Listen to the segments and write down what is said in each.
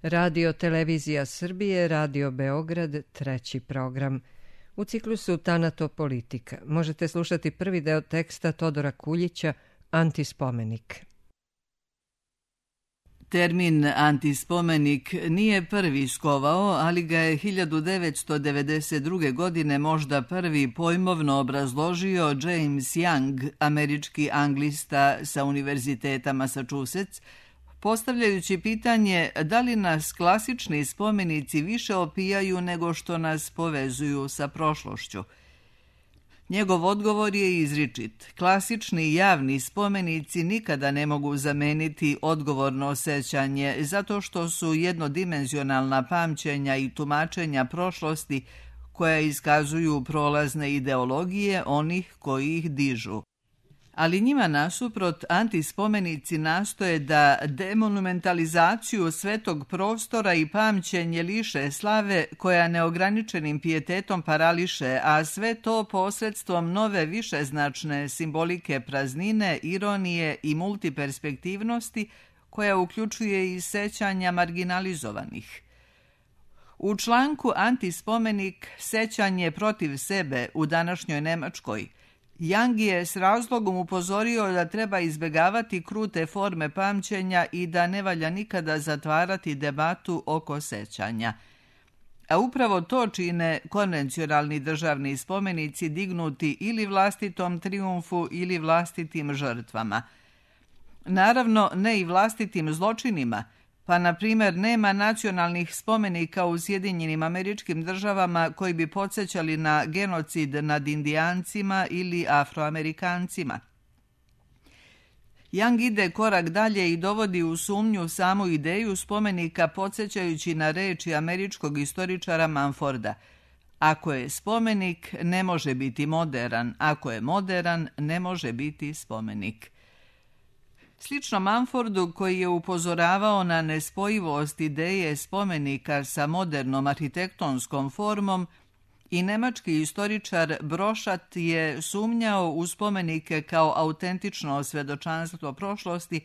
Radio Televizija Srbije, Radio Beograd, treći program. U ciklusu Tanatopolitika možete slušati prvi deo teksta Todora Kuljića Antispomenik. Termin antispomenik nije prvi skovao, ali ga je 1992. godine možda prvi pojmovno obrazložio James Young, američki anglista sa Univerziteta Massachusetts, postavljajući pitanje da li nas klasični spomenici više opijaju nego što nas povezuju sa prošlošću. Njegov odgovor je izričit. Klasični javni spomenici nikada ne mogu zameniti odgovorno sećanje zato što su jednodimenzionalna pamćenja i tumačenja prošlosti koja iskazuju prolazne ideologije onih koji ih dižu. Ali njima nasuprot antispomenici nastoje da demonumentalizaciju svetog prostora i pamćenje liše slave koja neograničenim pijetetom parališe, a sve to posredstvom nove višeznačne simbolike praznine, ironije i multiperspektivnosti koja uključuje i sećanja marginalizovanih. U članku Antispomenik sećanje protiv sebe u današnjoj Nemačkoj Young je s razlogom upozorio da treba izbjegavati krute forme pamćenja i da ne valja nikada zatvarati debatu oko sećanja. A upravo to čine konvencionalni državni spomenici dignuti ili vlastitom trijumfu ili vlastitim žrtvama. Naravno, ne i vlastitim zločinima, pa na primjer nema nacionalnih spomenika u Sjedinjenim Američkim Državama koji bi podsjećali na genocid nad Indijancima ili Afroamerikancima. Young ide korak dalje i dovodi u sumnju samu ideju spomenika podsjećajući na reči američkog istoričara Mumforda. Ako je spomenik, ne može biti moderan. Ako je moderan, ne može biti spomenik. Slično Mumfordu, koji je upozoravao na nespojivost ideje spomenika sa modernom arhitektonskom formom, i nemački istoričar Brošat je sumnjao u spomenike kao autentično svjedočanstvo prošlosti,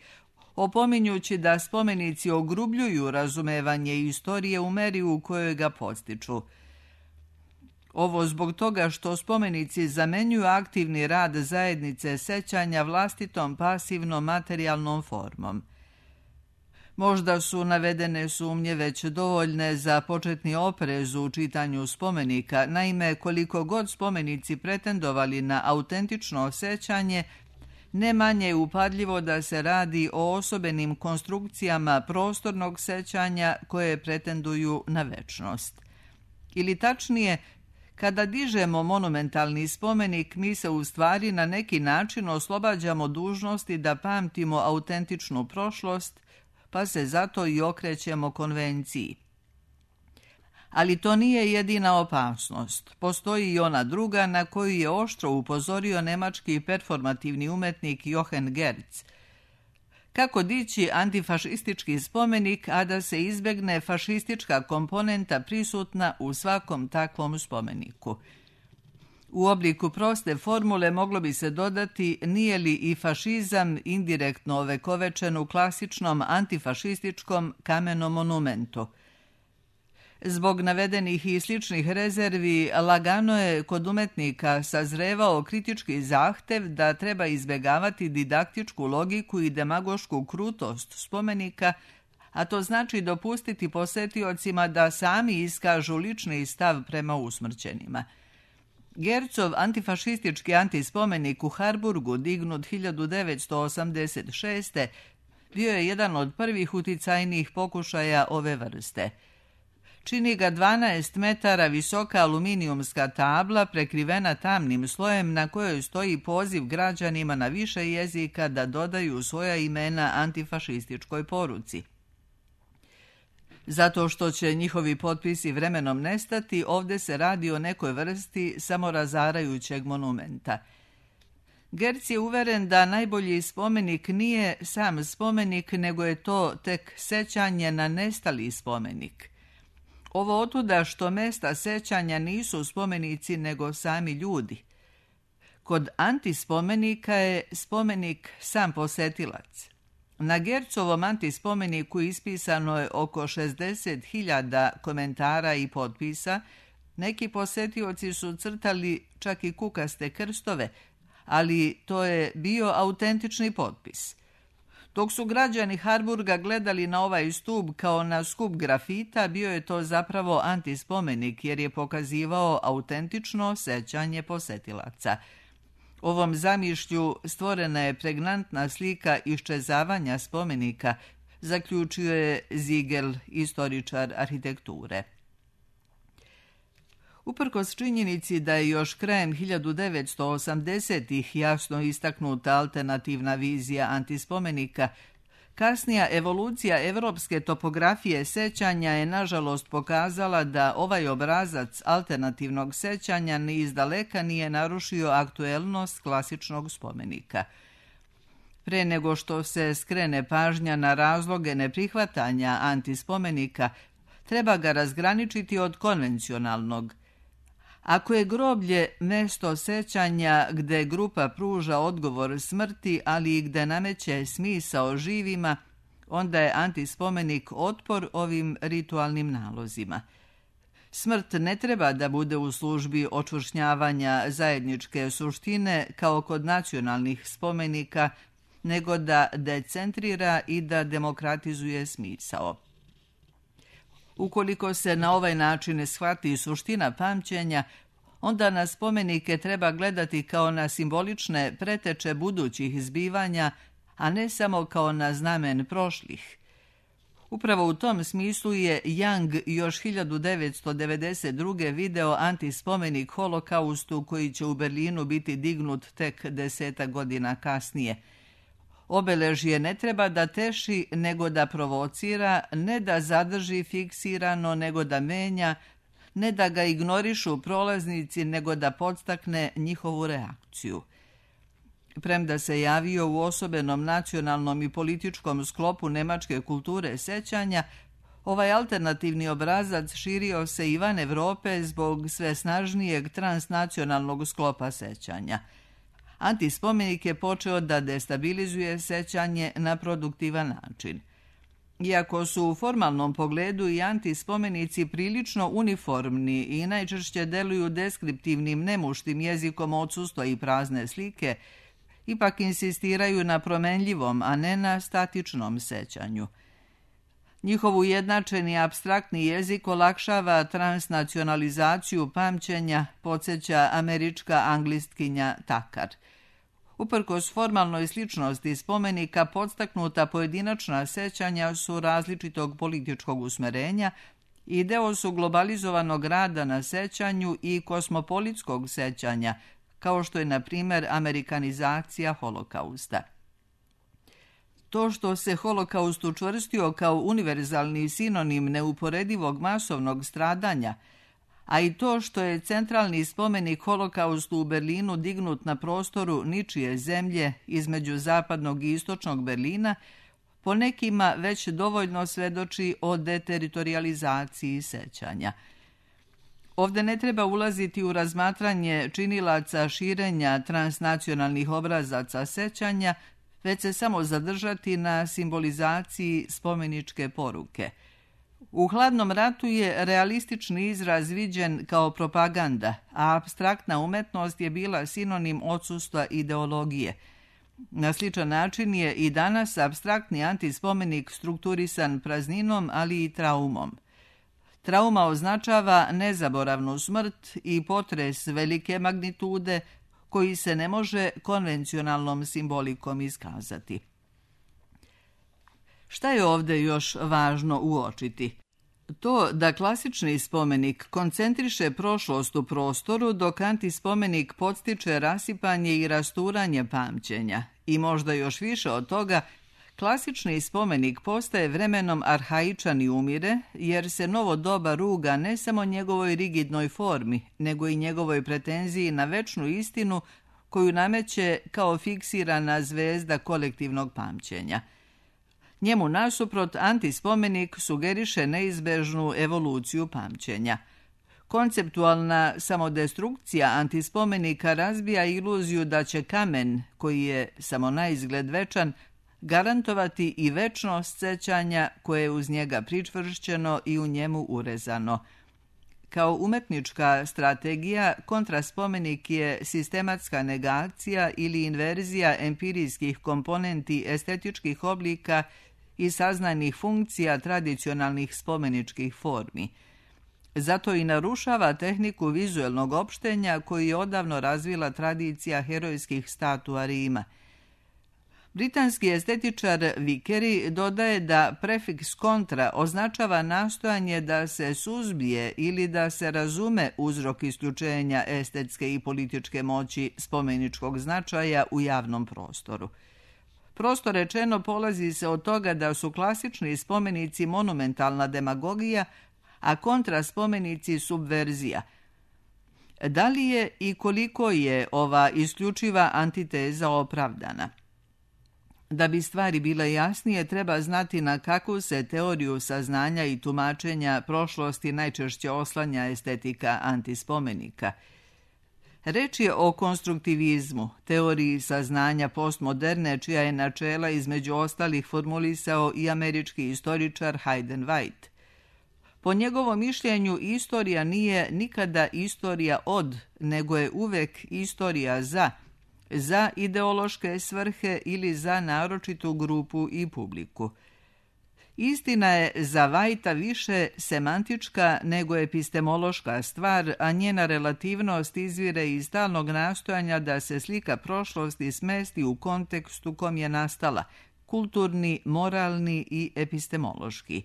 opominjući da spomenici ogrubljuju razumevanje istorije u meri u kojoj ga podstiču. Ovo zbog toga što spomenici zamenjuju aktivni rad zajednice sećanja vlastitom pasivnom materijalnom formom. Možda su navedene sumnje već dovoljne za početni oprez u čitanju spomenika, naime koliko god spomenici pretendovali na autentično sećanje, ne manje je upadljivo da se radi o osobenim konstrukcijama prostornog sećanja koje pretenduju na večnost. Ili tačnije, kada dižemo monumentalni spomenik, mi se u stvari na neki način oslobađamo dužnosti da pamtimo autentičnu prošlost, pa se zato i okrećemo konvenciji. Ali to nije jedina opasnost. Postoji i ona druga na koju je oštro upozorio nemački performativni umetnik Jochen Gerz. Kako dići antifašistički spomenik, a da se izbjegne fašistička komponenta prisutna u svakom takvom spomeniku? U obliku proste formule moglo bi se dodati nije li i fašizam indirektno ovekovečen u klasičnom antifašističkom kamenom monumentu. Zbog navedenih i sličnih rezervi, lagano je kod umetnika sazrevao kritički zahtev da treba izbjegavati didaktičku logiku i demagošku krutost spomenika, a to znači dopustiti posetiocima da sami iskažu lični stav prema usmrćenima. Gerzov antifašistički antispomenik u Harburgu, dignut 1986. bio je jedan od prvih uticajnijih pokušaja ove vrste. Čini ga 12 metara visoka aluminijumska tabla prekrivena tamnim slojem na kojoj stoji poziv građanima na više jezika da dodaju svoja imena antifašističkoj poruci. Zato što će njihovi potpisi vremenom nestati, ovdje se radi o nekoj vrsti samorazarajućeg monumenta. Gerz je uveren da najbolji spomenik nije sam spomenik, nego je to tek sećanje na nestali spomenik. Ovo otuda što mesta sećanja nisu spomenici nego sami ljudi. Kod antispomenika je spomenik sam posetilac. Na Gercovom antispomeniku ispisano je oko 60.000 komentara i potpisa. Neki posetioci su crtali čak i kukaste krstove, ali to je bio autentični potpis. Dok su građani Harburga gledali na ovaj stup kao na skup grafita, bio je to zapravo antispomenik jer je pokazivao autentično sećanje posetilaca. Ovom zamišlju stvorena je pregnantna slika iščezavanja spomenika, zaključio je Ziegel, istoričar arhitekture. Uprkos činjenici da je još krajem 1980-ih jasno istaknuta alternativna vizija antispomenika, kasnija evolucija evropske topografije sećanja je nažalost pokazala da ovaj obrazac alternativnog sećanja ni izdaleka nije narušio aktuelnost klasičnog spomenika. Pre nego što se skrene pažnja na razloge neprihvatanja antispomenika, treba ga razgraničiti od konvencionalnog. Ako je groblje mesto sećanja gde grupa pruža odgovor smrti, ali i gde nameće smisao živima, onda je antispomenik otpor ovim ritualnim nalozima. Smrt ne treba da bude u službi očvršnjavanja zajedničke suštine kao kod nacionalnih spomenika, nego da decentrira i da demokratizuje smisao. Ukoliko se na ovaj način shvati suština pamćenja, onda na spomenike treba gledati kao na simbolične preteče budućih zbivanja, a ne samo kao na znamen prošlih. Upravo u tom smislu je Young još 1992. video antispomenik Holokaustu koji će u Berlinu biti dignut tek 10 godina kasnije. Obeležje ne treba da teši, nego da provocira, ne da zadrži fiksirano, nego da menja, ne da ga ignorišu prolaznici, nego da podstakne njihovu reakciju. Premda se javio u osobenom nacionalnom i političkom sklopu nemačke kulture sećanja, ovaj alternativni obrazac širio se i van Evrope zbog sve snažnijeg transnacionalnog sklopa sećanja. Antispomenik je počeo da destabilizuje sećanje na produktivan način. Iako su u formalnom pogledu i antispomenici prilično uniformni i najčešće deluju deskriptivnim nemuštim jezikom odsustva i prazne slike, ipak insistiraju na promenljivom, a ne na statičnom sećanju. Njihov ujednačeni apstraktni jezik olakšava transnacionalizaciju pamćenja, podsjeća američka anglistkinja Takar. Uprkos formalnoj sličnosti spomenika, podstaknuta pojedinačna sećanja su različitog političkog usmerenja i deo su globalizovanog rada na sećanju i kosmopolitskog sećanja, kao što je, na primjer, amerikanizacija Holokausta. To što se Holokaust učvrstio kao univerzalni sinonim neuporedivog masovnog stradanja, a i to što je centralni spomenik Holokaustu u Berlinu dignut na prostoru ničije zemlje između zapadnog i istočnog Berlina, po nekima već dovoljno svedoči o deteritorializaciji sećanja. Ovde ne treba ulaziti u razmatranje činilaca širenja transnacionalnih obrazaca sećanja, već se samo zadržati na simbolizaciji spomeničke poruke. U hladnom ratu je realistični izraz viđen kao propaganda, a apstraktna umetnost je bila sinonim odsustva ideologije. Na sličan način je i danas apstraktni antispomenik strukturisan prazninom, ali i traumom. Trauma označava nezaboravnu smrt i potres velike magnitude koji se ne može konvencionalnom simbolikom iskazati. Šta je ovde još važno uočiti? To da klasični spomenik koncentriše prošlost u prostoru, dok antispomenik podstiče rasipanje i rasturanje pamćenja. I možda još više od toga, klasični spomenik postaje vremenom arhaičan i umire, jer se novo doba ruga ne samo njegovoj rigidnoj formi, nego i njegovoj pretenziji na večnu istinu koju nameće kao fiksirana zvezda kolektivnog pamćenja. Njemu nasuprot antispomenik sugeriše neizbežnu evoluciju pamćenja. Konceptualna samodestrukcija antispomenika razbija iluziju da će kamen, koji je samo naizgled večan, garantovati i večnost sećanja koje je uz njega pričvršćeno i u njemu urezano. Kao umetnička strategija, kontraspomenik je sistematska negacija ili inverzija empirijskih komponenti estetičkih oblika i saznajnih funkcija tradicionalnih spomeničkih formi. Zato i narušava tehniku vizuelnog opštenja koju je odavno razvila tradicija herojskih statua Rima. Britanski estetičar Vickery dodaje da prefiks kontra označava nastojanje da se suzbije ili da se razume uzrok isključenja estetske i političke moći spomeničkog značaja u javnom prostoru. Prosto rečeno, polazi se od toga da su klasični spomenici monumentalna demagogija, a kontraspomenici subverzija. Da li je i koliko je ova isključiva antiteza opravdana? Da bi stvari bile jasnije, treba znati na kakvu se teoriju saznanja i tumačenja prošlosti najčešće oslanja estetika antispomenika. Reč je o konstruktivizmu, teoriji saznanja postmoderne, čija je načela između ostalih formulisao i američki istoričar Hayden White. Po njegovom mišljenju, istorija nije nikada istorija od, nego je uvek istorija za ideološke svrhe ili za naročitu grupu i publiku. Istina je za Whitea više semantička nego epistemološka stvar, a njena relativnost izvire iz stalnog nastojanja da se slika prošlosti smesti u kontekstu kom je nastala, kulturni, moralni i epistemološki.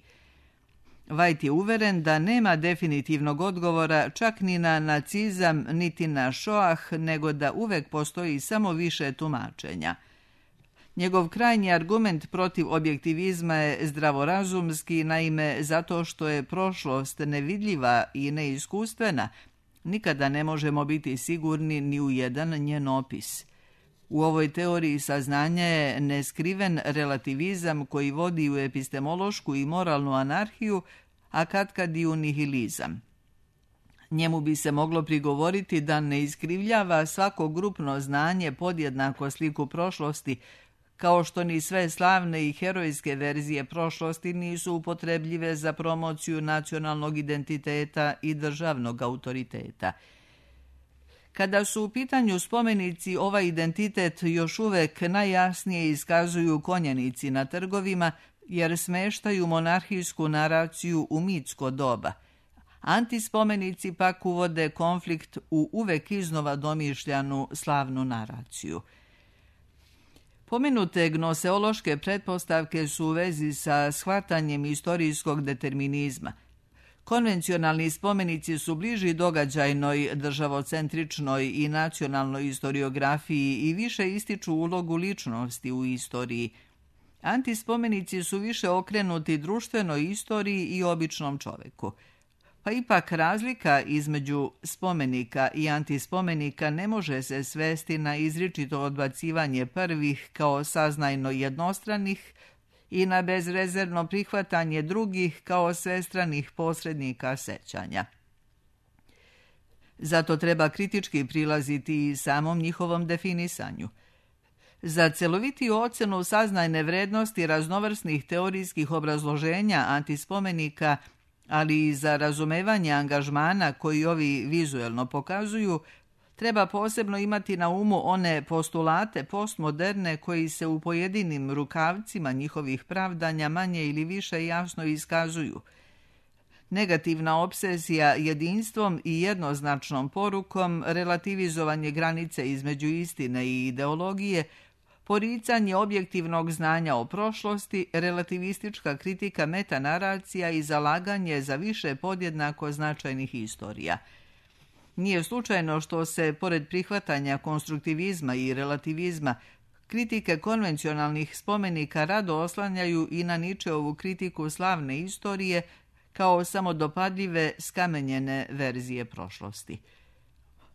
White je uveren da nema definitivnog odgovora čak ni na nacizam, niti na Shoah, nego da uvek postoji samo više tumačenja. Njegov krajnji argument protiv objektivizma je zdravorazumski, naime zato što je prošlost nevidljiva i neiskustvena, nikada ne možemo biti sigurni ni u jedan njen opis. U ovoj teoriji saznanja je neskriven relativizam koji vodi u epistemološku i moralnu anarhiju, a katkad i u nihilizam. Njemu bi se moglo prigovoriti da ne iskrivljava svako grupno znanje podjednako sliku prošlosti, kao što ni sve slavne i herojske verzije prošlosti nisu upotrebljive za promociju nacionalnog identiteta i državnog autoriteta. Kada su u pitanju spomenici, ovaj identitet još uvek najjasnije iskazuju konjanici na trgovima, jer smeštaju monarhijsku naraciju u mitsko doba. Antispomenici pak uvode konflikt u uvek iznova domišljanu slavnu naraciju. Pomenute gnoseološke pretpostavke su u vezi sa shvatanjem istorijskog determinizma. Konvencionalni spomenici su bliži događajnoj, državocentričnoj i nacionalnoj historiografiji i više ističu ulogu ličnosti u istoriji. Antispomenici su više okrenuti društvenoj istoriji i običnom čoveku. Pa ipak razlika između spomenika i antispomenika ne može se svesti na izričito odbacivanje prvih kao saznajno jednostranih i na bezrezervno prihvatanje drugih kao svestranih posrednika sećanja. Zato treba kritički prilaziti i samom njihovom definisanju. Za celovitiju ocenu saznajne vrednosti raznovrsnih teorijskih obrazloženja antispomenika, ali i za razumevanje angažmana koji ovi vizuelno pokazuju, treba posebno imati na umu one postulate postmoderne koji se u pojedinim rukavcima njihovih pravdanja manje ili više jasno iskazuju. Negativna obsesija jedinstvom i jednoznačnom porukom, relativizovanje granice između istine i ideologije, poricanje objektivnog znanja o prošlosti, relativistička kritika metanaracija i zalaganje za više podjednako značajnih istorija. Nije slučajno što se, pored prihvatanja konstruktivizma i relativizma, kritike konvencionalnih spomenika rado oslanjaju i na Nietzscheovu kritiku slavne istorije kao samodopadljive, skamenjene verzije prošlosti.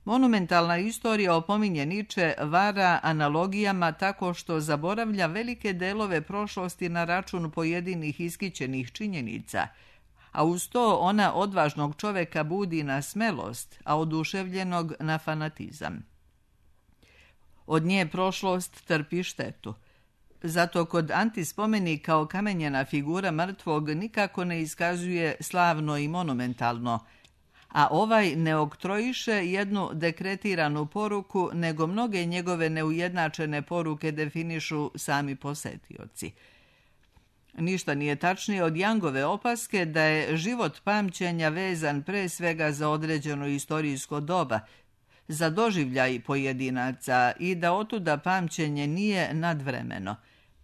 Monumentalna istorija, opominje Nietzsche, vara analogijama tako što zaboravlja velike delove prošlosti na račun pojedinih iskićenih činjenica, a uz to ona odvažnog čoveka budi na smelost, a oduševljenog na fanatizam. Od nje prošlost trpi štetu. Zato kod antispomenika okamenjena figura mrtvog nikako ne iskazuje slavno i monumentalno, a ovaj ne oktrojiše jednu dekretiranu poruku, nego mnoge njegove neujednačene poruke definišu sami posetioci. Ništa nije tačnije od Youngove opaske da je život pamćenja vezan pre svega za određeno istorijsko doba, za doživljaj pojedinaca i da otuda pamćenje nije nadvremeno.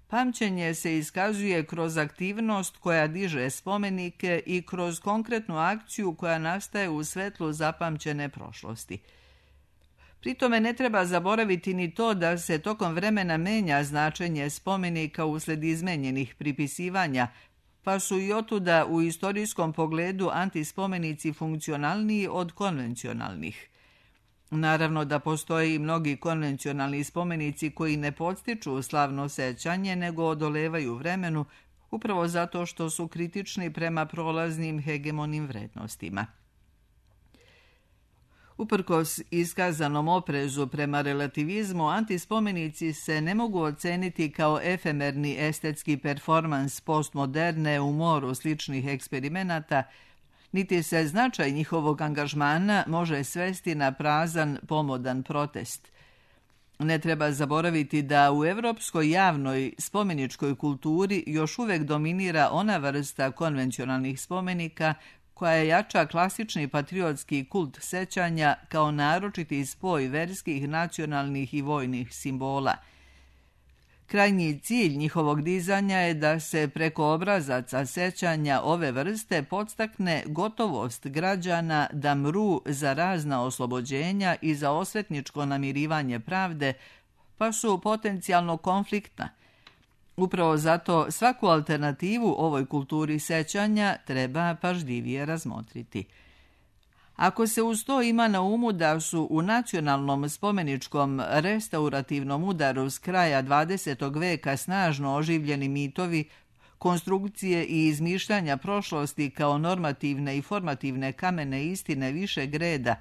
Pamćenje se iskazuje kroz aktivnost koja diže spomenike i kroz konkretnu akciju koja nastaje u svetlu zapamćene prošlosti. Pritome ne treba zaboraviti ni to da se tokom vremena menja značenje spomenika usled izmenjenih pripisivanja, pa su i otuda u istorijskom pogledu antispomenici funkcionalniji od konvencionalnih. Naravno da postoje i mnogi konvencionalni spomenici koji ne podstiču slavno sećanje, nego odolevaju vremenu, upravo zato što su kritični prema prolaznim hegemonim vrednostima. Uprkos iskazanom oprezu prema relativizmu, antispomenici se ne mogu oceniti kao efemerni estetski performans postmoderne u moru sličnih eksperimenata, niti se značaj njihovog angažmana može svesti na prazan, pomodan protest. Ne treba zaboraviti da u evropskoj javnoj spomeničkoj kulturi još uvek dominira ona vrsta konvencionalnih spomenika koja jača klasični patriotski kult sećanja kao naročiti spoj verskih, nacionalnih i vojnih simbola. Krajnji cilj njihovog dizanja je da se preko obrazaca sećanja ove vrste podstakne gotovost građana da mru za razna oslobođenja i za osvetničko namirivanje pravde, pa su potencijalno konfliktna. Upravo zato svaku alternativu ovoj kulturi sećanja treba pažljivije razmotriti. Ako se uz to ima na umu da su u nacionalnom spomeničkom restaurativnom udaru s kraja 20. veka snažno oživljeni mitovi, konstrukcije i izmišljanja prošlosti kao normativne i formativne kamene istine višeg reda,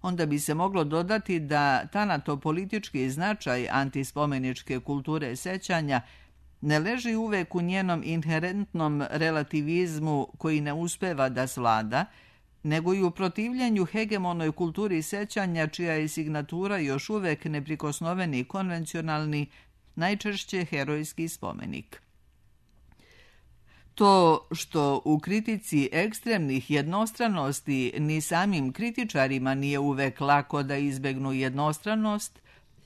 onda bi se moglo dodati da tanatopolitički značaj antispomeničke kulture sećanja ne leži uvek u njenom inherentnom relativizmu koji ne uspeva da svlada, nego i u protivljenju hegemonoj kulturi sećanja čija je signatura još uvek neprikosnoveni konvencionalni, najčešće herojski spomenik. To što u kritici ekstremnih jednostranosti ni samim kritičarima nije uvek lako da izbegnu jednostranost,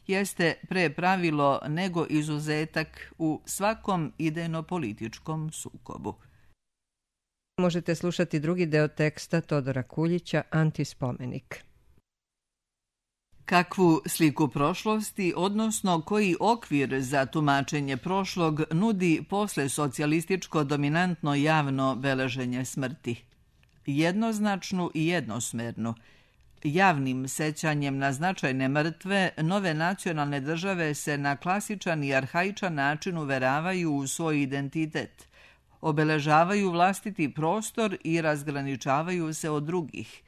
jeste pre pravilo nego izuzetak u svakom idejno-političkom sukobu. Možete slušati drugi deo teksta Todora Kuljića, Antispomenik. Kakvu sliku prošlosti, odnosno koji okvir za tumačenje prošlog nudi posle socijalističko dominantno javno beleženje smrti? Jednoznačnu i jednosmernu. Javnim sećanjem na značajne mrtve, nove nacionalne države se na klasičan i arhaičan način uveravaju u svoj identitet, obeležavaju vlastiti prostor i razgraničavaju se od drugih.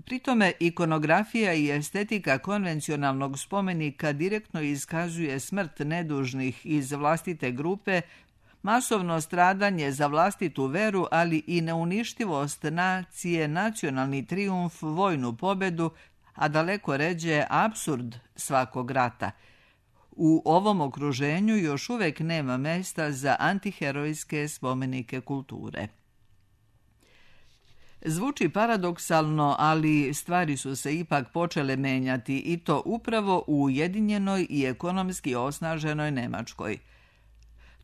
Pritome, ikonografija i estetika konvencionalnog spomenika direktno iskazuje smrt nedužnih iz vlastite grupe, masovno stradanje za vlastitu veru, ali i neuništivost nacije, nacionalni trijumf, vojnu pobedu, a daleko ređe apsurd svakog rata. U ovom okruženju još uvek nema mesta za antiherojske spomenike kulture. Zvuči paradoksalno, ali stvari su se ipak počele menjati i to upravo u ujedinjenoj i ekonomski osnaženoj Nemačkoj.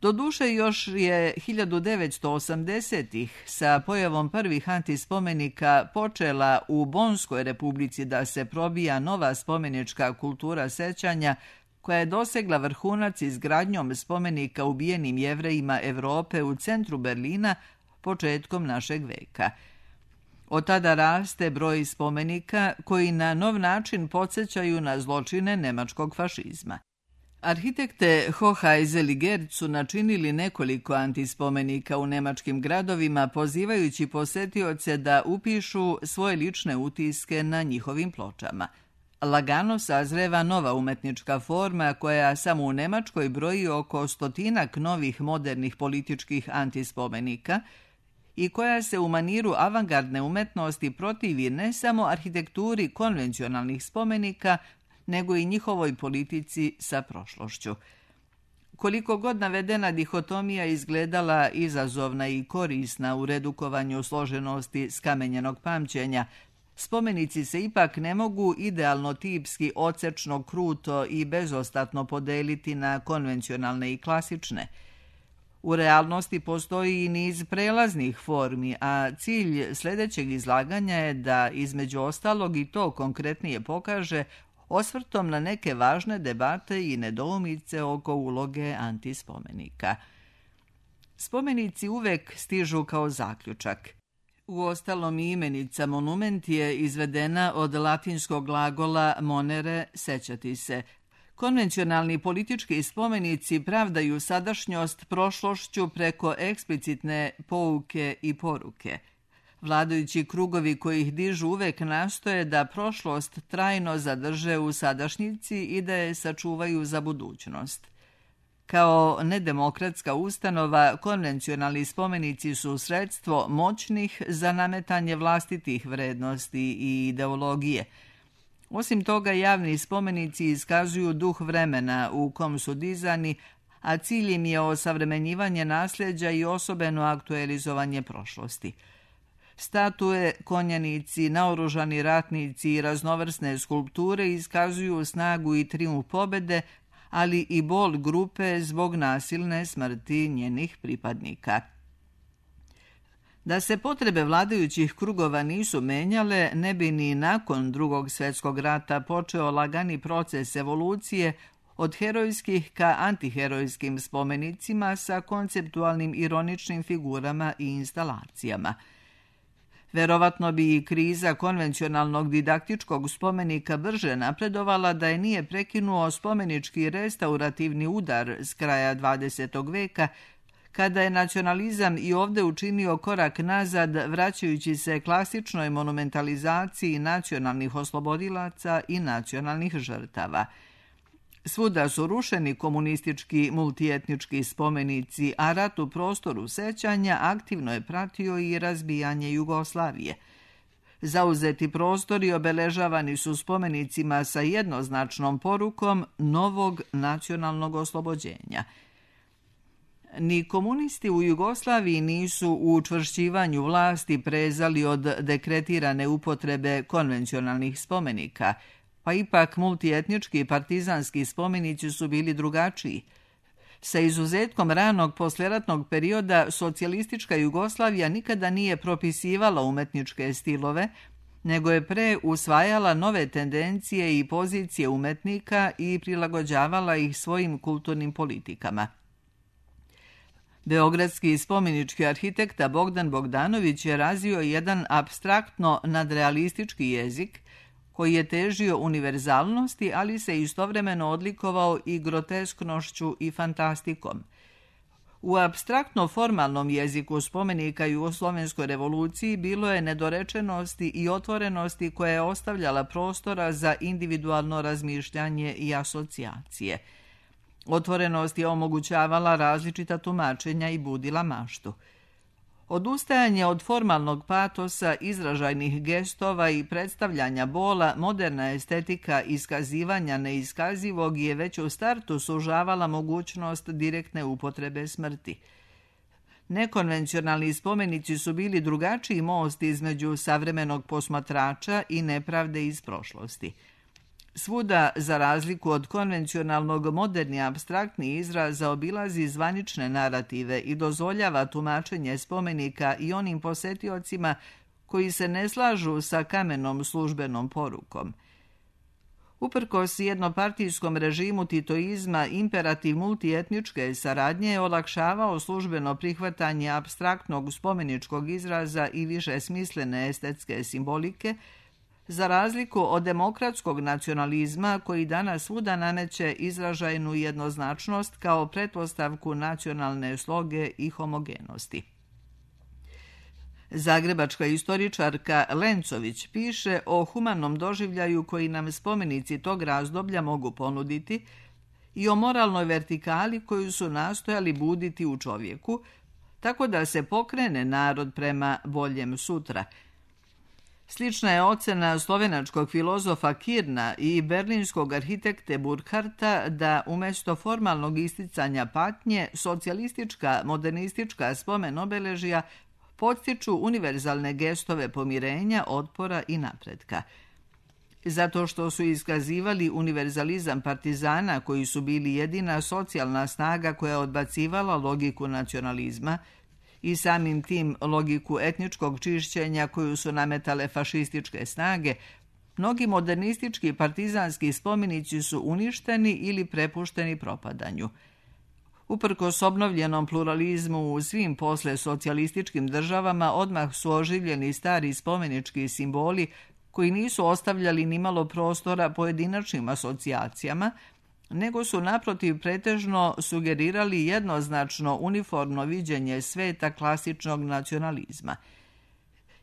Doduše još je 1980-ih sa pojavom prvih antispomenika počela u Bonskoj republici da se probija nova spomenička kultura sećanja koja je dosegla vrhunac izgradnjom spomenika ubijenim Jevrejima Evrope u centru Berlina početkom našeg veka. Od tada raste broj spomenika koji na nov način podsjećaju na zločine nemačkog fašizma. Arhitekte Hoheisel i Gerz su načinili nekoliko antispomenika u nemačkim gradovima, pozivajući posetioce da upišu svoje lične utiske na njihovim pločama. Lagano sazreva nova umetnička forma koja samo u Nemačkoj broji oko 100 novih modernih političkih antispomenika i koja se u maniru avangardne umetnosti protivi ne samo arhitekturi konvencionalnih spomenika, nego i njihovoj politici sa prošlošću. Koliko god navedena dihotomija izgledala izazovna i korisna u redukovanju složenosti skamenjenog pamćenja, spomenici se ipak ne mogu idealno tipski, odsečno, kruto i bezostatno podeliti na konvencionalne i klasične. U realnosti postoji i niz prelaznih formi, a cilj sljedećeg izlaganja je da između ostalog i to konkretnije pokaže osvrtom na neke važne debate i nedoumice oko uloge antispomenika. Spomenici uvek stižu kao zaključak. Uostalom i imenica monument je izvedena od latinskog glagola monere, sećati se. Konvencionalni politički spomenici pravdaju sadašnjost prošlošću preko eksplicitne pouke i poruke. Vladajući krugovi koji ih dižu uvek nastoje da prošlost trajno zadrže u sadašnjici i da je sačuvaju za budućnost. Kao nedemokratska ustanova, konvencionalni spomenici su sredstvo moćnih za nametanje vlastitih vrednosti i ideologije. Osim toga, javni spomenici iskazuju duh vremena u kom su dizani, a cilj im je osavremenjivanje nasljeđa i osobeno aktualizovanje prošlosti. Statue, konjanici, naoružani ratnici i raznovrsne skulpture iskazuju snagu i trijumf pobede, ali i bol grupe zbog nasilne smrti njenih pripadnika. Da se potrebe vladajućih krugova nisu menjale, ne bi ni nakon Drugog svjetskog rata počeo lagani proces evolucije od herojskih ka antiherojskim spomenicima sa konceptualnim ironičnim figurama i instalacijama. Verovatno bi i kriza konvencionalnog didaktičkog spomenika brže napredovala da je nije prekinuo spomenički restaurativni udar s kraja 20. veka, kada je nacionalizam i ovdje učinio korak nazad vraćajući se klasičnoj monumentalizaciji nacionalnih oslobodilaca i nacionalnih žrtava. Svuda su rušeni komunistički multietnički spomenici, a rat u prostoru sećanja aktivno je pratio i razbijanje Jugoslavije. Zauzeti prostori obeležavani su spomenicima sa jednoznačnom porukom novog nacionalnog oslobođenja. Ni komunisti u Jugoslaviji nisu u učvršćivanju vlasti prezali od dekretirane upotrebe konvencionalnih spomenika, pa ipak multietnički i partizanski spomenici su bili drugačiji. Sa izuzetkom ranog poslijeratnog perioda, socijalistička Jugoslavija nikada nije propisivala umetničke stilove, nego je pre usvajala nove tendencije i pozicije umetnika i prilagođavala ih svojim kulturnim politikama. Beogradski spomenički arhitekta Bogdan Bogdanović je razvio jedan apstraktno nadrealistički jezik koji je težio univerzalnosti, ali se istovremeno odlikovao i grotesknošću i fantastikom. U apstraktno formalnom jeziku spomenika Jugoslovenskoj revoluciji bilo je nedorečenosti i otvorenosti koja je ostavljala prostora za individualno razmišljanje i asocijacije. Otvorenost je omogućavala različita tumačenja i budila maštu. Odustajanje od formalnog patosa, izražajnih gestova i predstavljanja bola, moderna estetika iskazivanja neiskazivog je već u startu sužavala mogućnost direktne upotrebe smrti. Nekonvencionalni spomenici su bili drugačiji most između savremenog posmatrača i nepravde iz prošlosti. Svuda, za razliku od konvencionalnog, moderni apstraktni izraz zaobilazi zvanične narative i dozvoljava tumačenje spomenika i onim posetiocima koji se ne slažu sa kamenom službenom porukom. Uprkos jednopartijskom režimu titoizma, imperativ multietničke saradnje je olakšavao službeno prihvatanje apstraktnog spomeničkog izraza i više smislene estetske simbolike, za razliku od demokratskog nacionalizma koji danas svuda nameće izražajnu jednoznačnost kao pretpostavku nacionalne sloge i homogenosti. Zagrebačka istoričarka Lencović piše o humanom doživljaju koji nam spomenici tog razdoblja mogu ponuditi i o moralnoj vertikali koju su nastojali buditi u čovjeku, tako da se pokrene narod prema boljem sutra. Slična je ocena slovenačkog filozofa Kirna i berlinskog arhitekte Burkharta da umjesto formalnog isticanja patnje, socijalistička, modernistička spomen obeležja podstiču univerzalne gestove pomirenja, otpora i napretka. Zato što su iskazivali univerzalizam partizana koji su bili jedina socijalna snaga koja je odbacivala logiku nacionalizma i samim tim logiku etničkog čišćenja koju su nametale fašističke snage, mnogi modernistički partizanski spomenici su uništeni ili prepušteni propadanju. Uprkos obnovljenom pluralizmu u svim posle socijalističkim državama odmah su oživljeni stari spomenički simboli koji nisu ostavljali nimalo prostora pojedinačnim asocijacijama, nego su naprotiv pretežno sugerirali jednoznačno uniformno viđenje sveta klasičnog nacionalizma.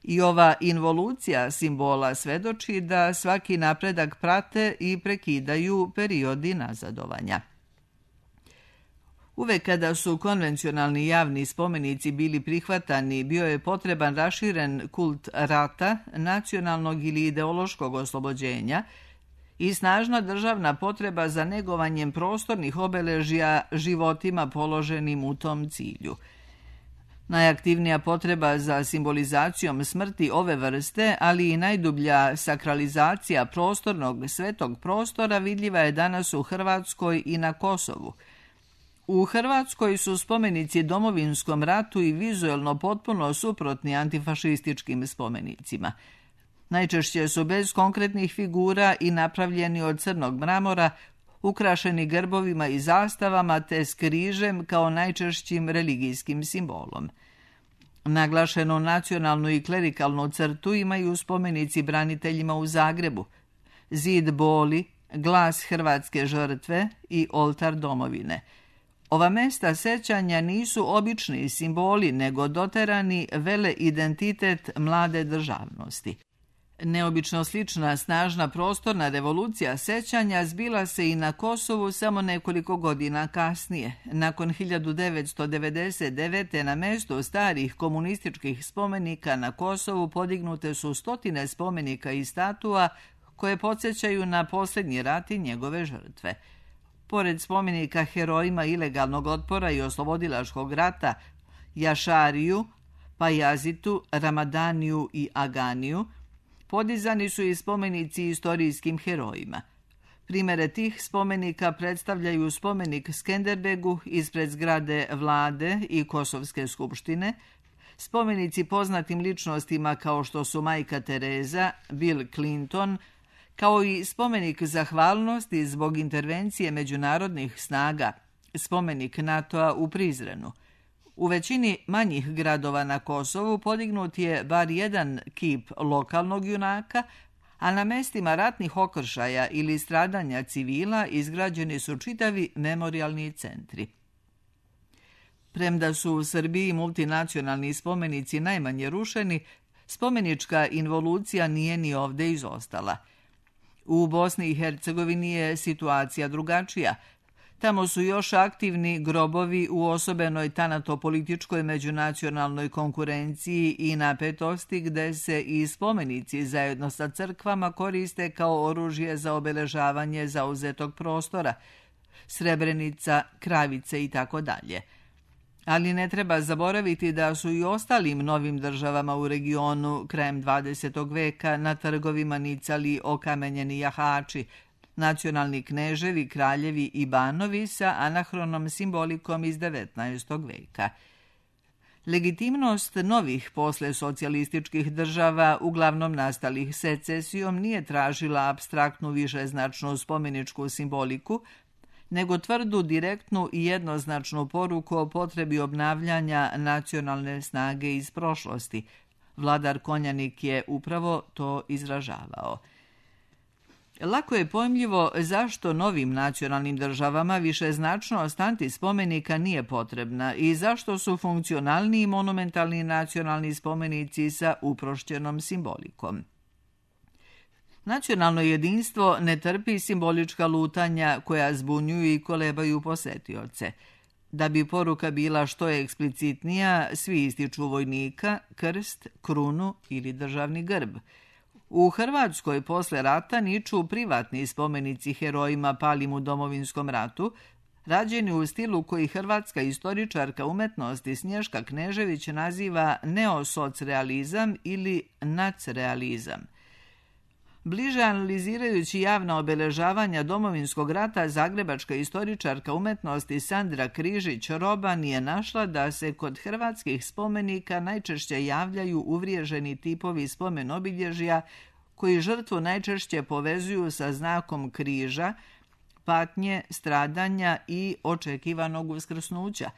I ova involucija simbola svedoči da svaki napredak prate i prekidaju periodi nazadovanja. Uvek kada su konvencionalni javni spomenici bili prihvatani, bio je potreban raširen kult rata, nacionalnog ili ideološkog oslobođenja i snažna državna potreba za negovanjem prostornih obeležja životima položenim u tom cilju. Najaktivnija potreba za simbolizacijom smrti ove vrste, ali i najdublja sakralizacija prostornog svetog prostora vidljiva je danas u Hrvatskoj i na Kosovu. U Hrvatskoj su spomenici Domovinskom ratu i vizuelno potpuno suprotni antifašističkim spomenicima. Najčešće su bez konkretnih figura i napravljeni od crnog mramora, ukrašeni grbovima i zastavama te s križem kao najčešćim religijskim simbolom. Naglašenu nacionalnu i klerikalnu crtu imaju spomenici braniteljima u Zagrebu, Zid boli, Glas hrvatske žrtve i Oltar domovine. Ova mesta sećanja nisu obični simboli, nego doterani vele identitet mlade državnosti. Neobično slična snažna prostorna revolucija sećanja zbila se i na Kosovu samo nekoliko godina kasnije. Nakon 1999. na mesto starih komunističkih spomenika na Kosovu podignute su stotine spomenika i statua koje podsjećaju na posljednji rat i njegove žrtve. Pored spomenika herojima ilegalnog otpora i oslobodilačkog rata, Jašariju, Pajazitu, Ramadaniju i Aganiju, podizani su i spomenici istorijskim herojima. Primere tih spomenika predstavljaju spomenik Skenderbegu ispred zgrade vlade i Kosovske skupštine, spomenici poznatim ličnostima kao što su Majka Tereza, Bill Clinton, kao i spomenik zahvalnosti zbog intervencije međunarodnih snaga, spomenik NATO-a u Prizrenu. U većini manjih gradova na Kosovu podignut je bar jedan kip lokalnog junaka, a na mestima ratnih okršaja ili stradanja civila izgrađeni su čitavi memorijalni centri. Premda su u Srbiji multinacionalni spomenici najmanje rušeni, spomenička involucija nije ni ovdje izostala. U Bosni i Hercegovini je situacija drugačija. Tamo su još aktivni grobovi u osobenoj tanato-političkoj međunacionalnoj konkurenciji i napetosti gde se i spomenici zajedno sa crkvama koriste kao oružje za obeležavanje zauzetog prostora, Srebrenica, Kravice i tako dalje. Ali ne treba zaboraviti da su i ostalim novim državama u regionu krajem 20. veka na trgovima nicali okamenjeni jahači, nacionalni kneževi, kraljevi i banovi sa anahronom simbolikom iz 19. veka. Legitimnost novih posle socijalističkih država, uglavnom nastalih secesijom, nije tražila apstraktnu višeznačnu spomeničku simboliku, nego tvrdu, direktnu i jednoznačnu poruku o potrebi obnavljanja nacionalne snage iz prošlosti. Vladar Konjanik je upravo to izražavao. Lako je pojmljivo zašto novim nacionalnim državama višeznačnost antispomenika nije potrebna i zašto su funkcionalni monumentalni nacionalni spomenici sa uprošćenom simbolikom. Nacionalno jedinstvo ne trpi simbolička lutanja koja zbunjuju i kolebaju posetioce. Da bi poruka bila što je eksplicitnija, svi ističu vojnika, krst, krunu ili državni grb. U Hrvatskoj posle rata niču privatni spomenici herojima palim u Domovinskom ratu, rađeni u stilu koji hrvatska istoričarka umetnosti Snježka Knežević naziva neosocrealizam ili nacrealizam. Bliže analizirajući javna obeležavanja Domovinskog rata, zagrebačka istoričarka umetnosti Sandra Križić-Roban je našla da se kod hrvatskih spomenika najčešće javljaju uvriježeni tipovi spomen obilježja koji žrtvu najčešće povezuju sa znakom križa, patnje, stradanja i očekivanog uskrsnuća.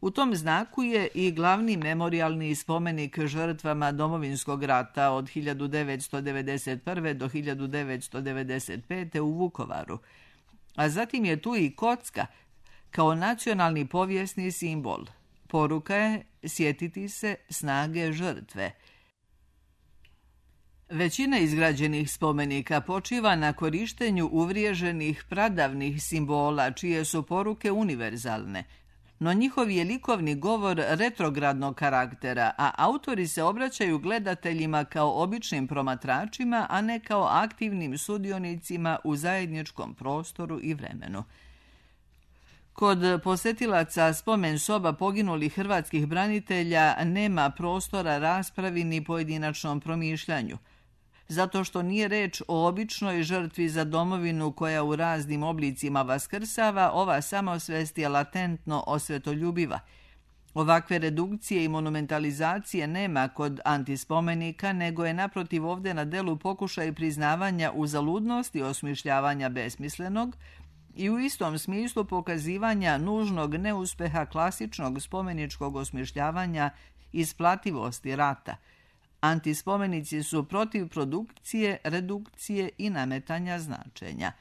U tom znaku je i glavni memorijalni spomenik žrtvama Domovinskog rata od 1991. do 1995. u Vukovaru. A zatim je tu i kocka kao nacionalni povijesni simbol. Poruka je sjetiti se snage žrtve. Većina izgrađenih spomenika počiva na korištenju uvriježenih pradavnih simbola čije su poruke univerzalne, no njihov je likovni govor retrogradnog karaktera, a autori se obraćaju gledateljima kao običnim promatračima, a ne kao aktivnim sudionicima u zajedničkom prostoru i vremenu. Kod posetilaca spomen soba poginulih hrvatskih branitelja nema prostora raspravi ni pojedinačnom promišljanju. Zato što nije reč o običnoj žrtvi za domovinu koja u raznim oblicima vaskrsava, ova samosvest je latentno osvetoljubiva. Ovakve redukcije i monumentalizacije nema kod antispomenika, nego je naprotiv ovdje na delu pokušaj priznavanja uzaludnosti osmišljavanja besmislenog i u istom smislu pokazivanja nužnog neuspeha klasičnog spomeničkog osmišljavanja isplativosti rata. Antispomenici su protiv produkcije, redukcije i nametanja značenja.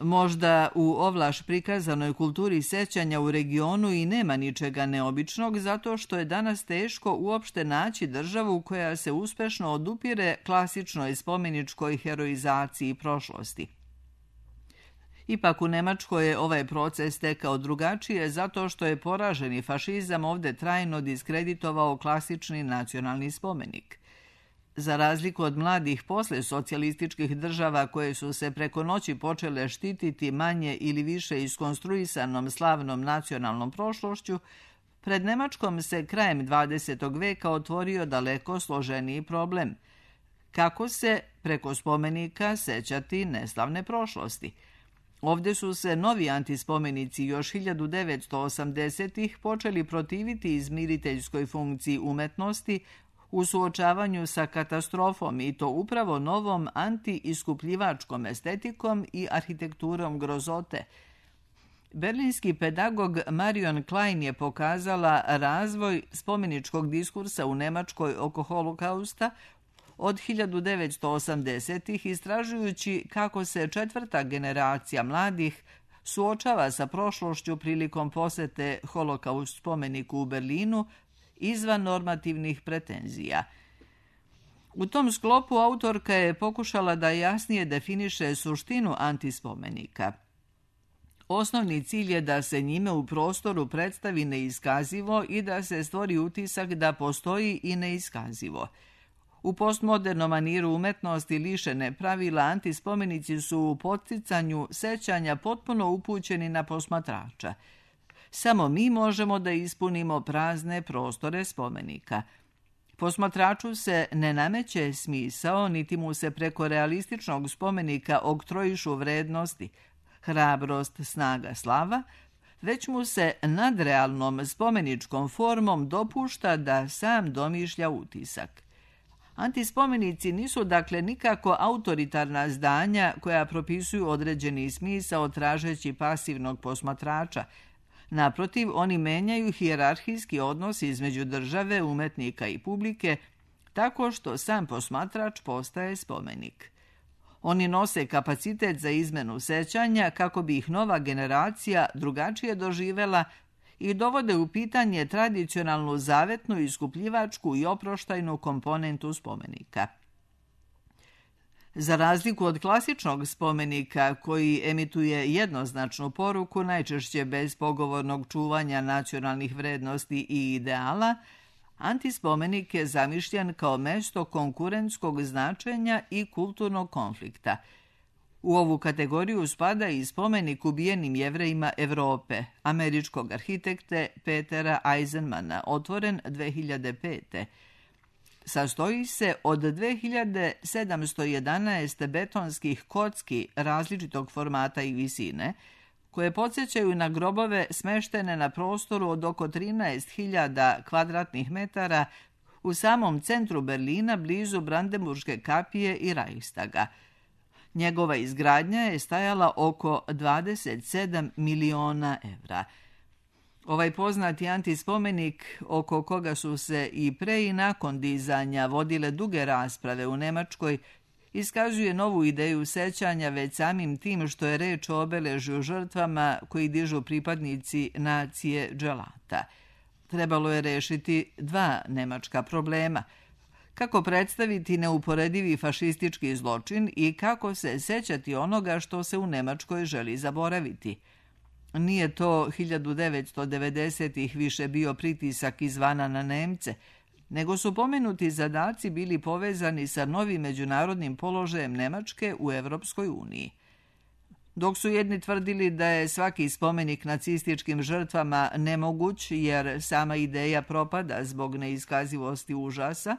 Možda u ovlaš prikazanoj kulturi sećanja u regionu i nema ničega neobičnog, zato što je danas teško uopšte naći državu koja se uspešno odupire klasičnoj spomeničkoj heroizaciji prošlosti. Ipak u Nemačkoj je ovaj proces tekao drugačije zato što je poraženi fašizam ovdje trajno diskreditovao klasični nacionalni spomenik. Za razliku od mladih posle socijalističkih država koje su se preko noći počele štititi manje ili više iskonstruisanom slavnom nacionalnom prošlošću, pred Nemačkom se krajem 20. veka otvorio daleko složeniji problem. Kako se preko spomenika sećati neslavne prošlosti? Ovdje su se novi antispomenici još 1980-ih počeli protiviti izmiriteljskoj funkciji umetnosti u suočavanju sa katastrofom i to upravo novom anti-iskupljivačkom estetikom i arhitekturom grozote. Berlinski pedagog Marion Klein je pokazala razvoj spomeničkog diskursa u Nemačkoj oko holokausta od 1980-ih istražujući kako se četvrta generacija mladih suočava sa prošlošću prilikom posete holokaust spomeniku u Berlinu izvan normativnih pretenzija. U tom sklopu autorka je pokušala da jasnije definiše suštinu antispomenika. Osnovni cilj je da se njime u prostoru predstavi neiskazivo i da se stvori utisak da postoji i neiskazivo. U postmodernom maniru umetnosti lišene pravila antispomenici su u podsticanju sećanja potpuno upućeni na posmatrača. Samo mi možemo da ispunimo prazne prostore spomenika. Posmatraču se ne nameće smisao, niti mu se preko realističnog spomenika oktrojišu vrednosti, hrabrost, snaga, slava, već mu se nadrealnom spomeničkom formom dopušta da sam domišlja utisak. Antispomenici nisu dakle nikako autoritarna zdanja koja propisuju određeni smisao tražeći pasivnog posmatrača. Naprotiv, oni menjaju hijerarhijski odnos između države, umetnika i publike tako što sam posmatrač postaje spomenik. Oni nose kapacitet za izmenu sećanja kako bi ih nova generacija drugačije doživela i dovode u pitanje tradicionalnu zavetnu, iskupljivačku i oproštajnu komponentu spomenika. Za razliku od klasičnog spomenika koji emituje jednoznačnu poruku, najčešće bez pogovornog čuvanja nacionalnih vrednosti i ideala, antispomenik je zamišljen kao mesto konkurentskog značenja i kulturnog konflikta. U ovu kategoriju spada i spomenik ubijenim Jevrejima Evrope, američkog arhitekte Petera Eisenmana, otvoren 2005. Sastoji se od 2711 betonskih kocki različitog formata i visine, koje podsjećaju na grobove smeštene na prostoru od oko 13.000 kvadratnih metara u samom centru Berlina blizu Brandenburške kapije i Reichstaga. Njegova izgradnja je stajala oko 27 miliona evra. Ovaj poznati antispomenik, oko koga su se i pre i nakon dizanja vodile duge rasprave u Nemačkoj, iskazuje novu ideju sećanja već samim tim što je reč o obeležju žrtvama koji dižu pripadnici nacije dželata. Trebalo je rešiti dva nemačka problema. Kako predstaviti neuporedivi fašistički zločin i kako se sećati onoga što se u Nemačkoj želi zaboraviti. Nije to 1990-ih više bio pritisak izvana na Nemce, nego su pomenuti zadaci bili povezani sa novim međunarodnim položajem Nemačke u Evropskoj uniji. Dok su jedni tvrdili da je svaki spomenik nacističkim žrtvama nemoguć jer sama ideja propada zbog neiskazivosti užasa,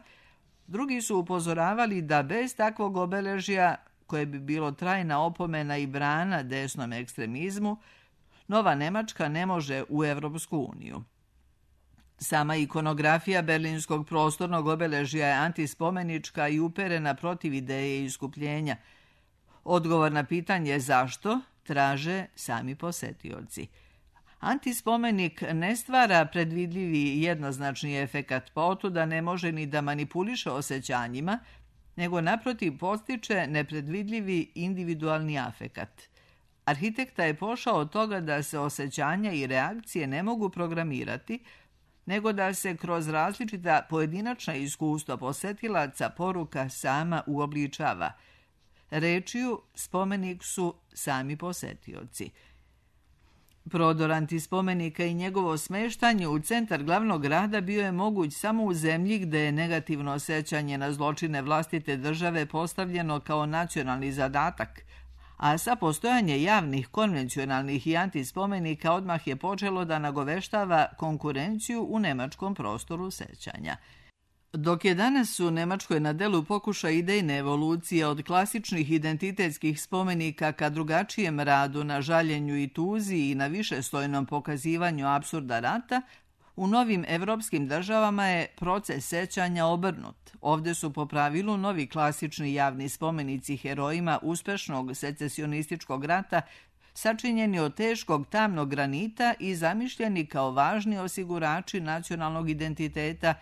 drugi su upozoravali da bez takvog obeležja, koje bi bilo trajna opomena i brana desnom ekstremizmu, nova Nemačka ne može u Evropsku uniju. Sama ikonografija berlinskog prostornog obeležja je antispomenička i uperena protiv ideje iskupljenja. Odgovor na pitanje zašto traže sami posetioci. Antispomenik ne stvara predvidljivi jednoznačni efekat, pa otuda ne može ni da manipuliše osjećanjima, nego naprotiv postiče nepredvidljivi individualni afekat. Arhitekta je pošao od toga da se osjećanja i reakcije ne mogu programirati, nego da se kroz različita pojedinačna iskustva posetilaca poruka sama uobličava. Rečju, spomenik su sami posetioci. Prodor antispomenika i njegovo smeštanje u centar glavnog grada bio je moguć samo u zemlji gde je negativno osjećanje na zločine vlastite države postavljeno kao nacionalni zadatak, a sa postojanje javnih, konvencionalnih i antispomenika odmah je počelo da nagoveštava konkurenciju u nemačkom prostoru sećanja. Dok je danas u Nemačkoj na delu pokušaj idejne evolucije od klasičnih identitetskih spomenika ka drugačijem radu na žaljenju i tuzi i na višeslojnom pokazivanju apsurda rata, u novim evropskim državama je proces sećanja obrnut. Ovde su po pravilu novi klasični javni spomenici herojima uspešnog secesionističkog rata sačinjeni od teškog tamnog granita i zamišljeni kao važni osigurači nacionalnog identiteta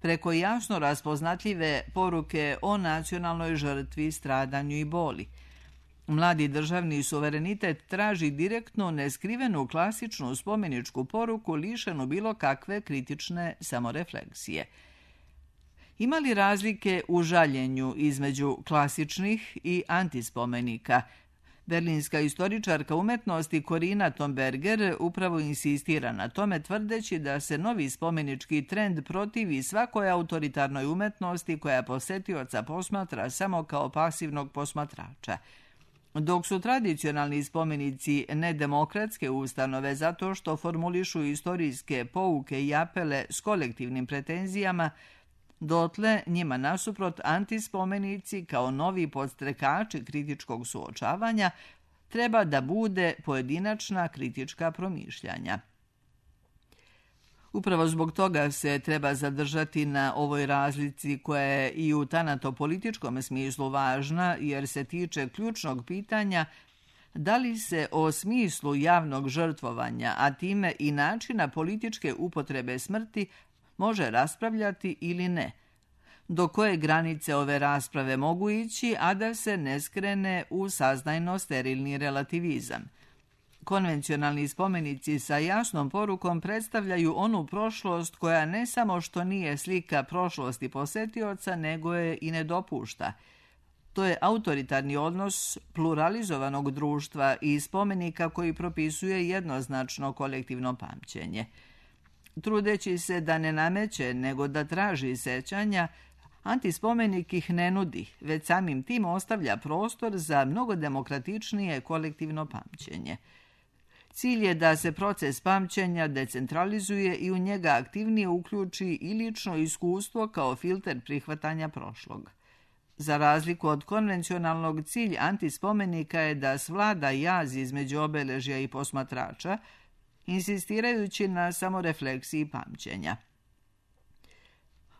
preko jasno raspoznatljive poruke o nacionalnoj žrtvi, stradanju i boli. Mladi državni suverenitet traži direktnu, neskrivenu klasičnu spomeničku poruku lišenu bilo kakve kritične samorefleksije. Ima li razlike u žaljenju između klasičnih i antispomenika? Berlinska istoričarka umetnosti Corina Tomberger upravo insistira na tome, tvrdeći da se novi spomenički trend protivi svakoj autoritarnoj umetnosti koja posetioca posmatra samo kao pasivnog posmatrača. Dok su tradicionalni spomenici nedemokratske ustanove zato što formulišu istorijske pouke i apele s kolektivnim pretenzijama, dotle njima nasuprot antispomenici kao novi podstrekači kritičkog suočavanja treba da bude pojedinačna kritička promišljanja. Upravo zbog toga se treba zadržati na ovoj razlici koja je i u tanatopolitičkom smislu važna jer se tiče ključnog pitanja da li se o smislu javnog žrtvovanja, a time i načina političke upotrebe smrti može raspravljati ili ne. do koje granice ove rasprave mogu ići, a da se ne skrene u saznajno sterilni relativizam. Konvencionalni spomenici sa jasnom porukom predstavljaju onu prošlost koja ne samo što nije slika prošlosti posetioca, nego je i ne dopušta. To je autoritarni odnos pluralizovanog društva i spomenika koji propisuje jednoznačno kolektivno pamćenje. Trudeći se da ne nameće, nego da traži sećanja, antispomenik ih ne nudi, već samim tim ostavlja prostor za mnogo demokratičnije kolektivno pamćenje. Cilj je da se proces pamćenja decentralizuje i u njega aktivnije uključi i lično iskustvo kao filter prihvatanja prošlog. Za razliku od konvencionalnog, cilj antispomenika je da svlada jaz između obeležja i posmatrača, insistirajući na samorefleksiji pamćenja.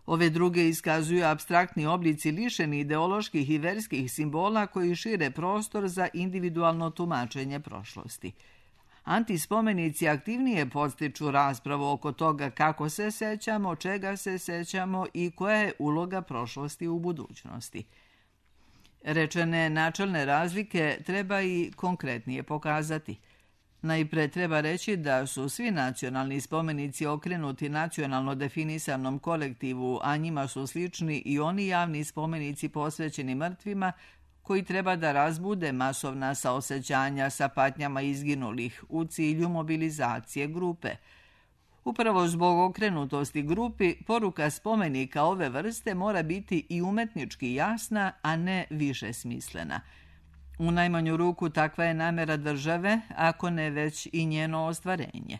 Ove druge iskazuju apstraktni oblici lišeni ideoloških i verskih simbola koji šire prostor za individualno tumačenje prošlosti. Antispomenici aktivnije podstiču raspravu oko toga kako se sećamo, čega se sećamo i koja je uloga prošlosti u budućnosti. Rečene načelne razlike treba i konkretnije pokazati. Najpre treba reći da su svi nacionalni spomenici okrenuti nacionalno definisanom kolektivu, a njima su slični i oni javni spomenici posvećeni mrtvima koji treba da razbude masovna saosećanja sa patnjama izginulih u cilju mobilizacije grupe. Upravo zbog okrenutosti grupi, poruka spomenika ove vrste mora biti i umetnički jasna, a ne više smislena. U najmanju ruku takva je namera države, ako ne već i njeno ostvarenje.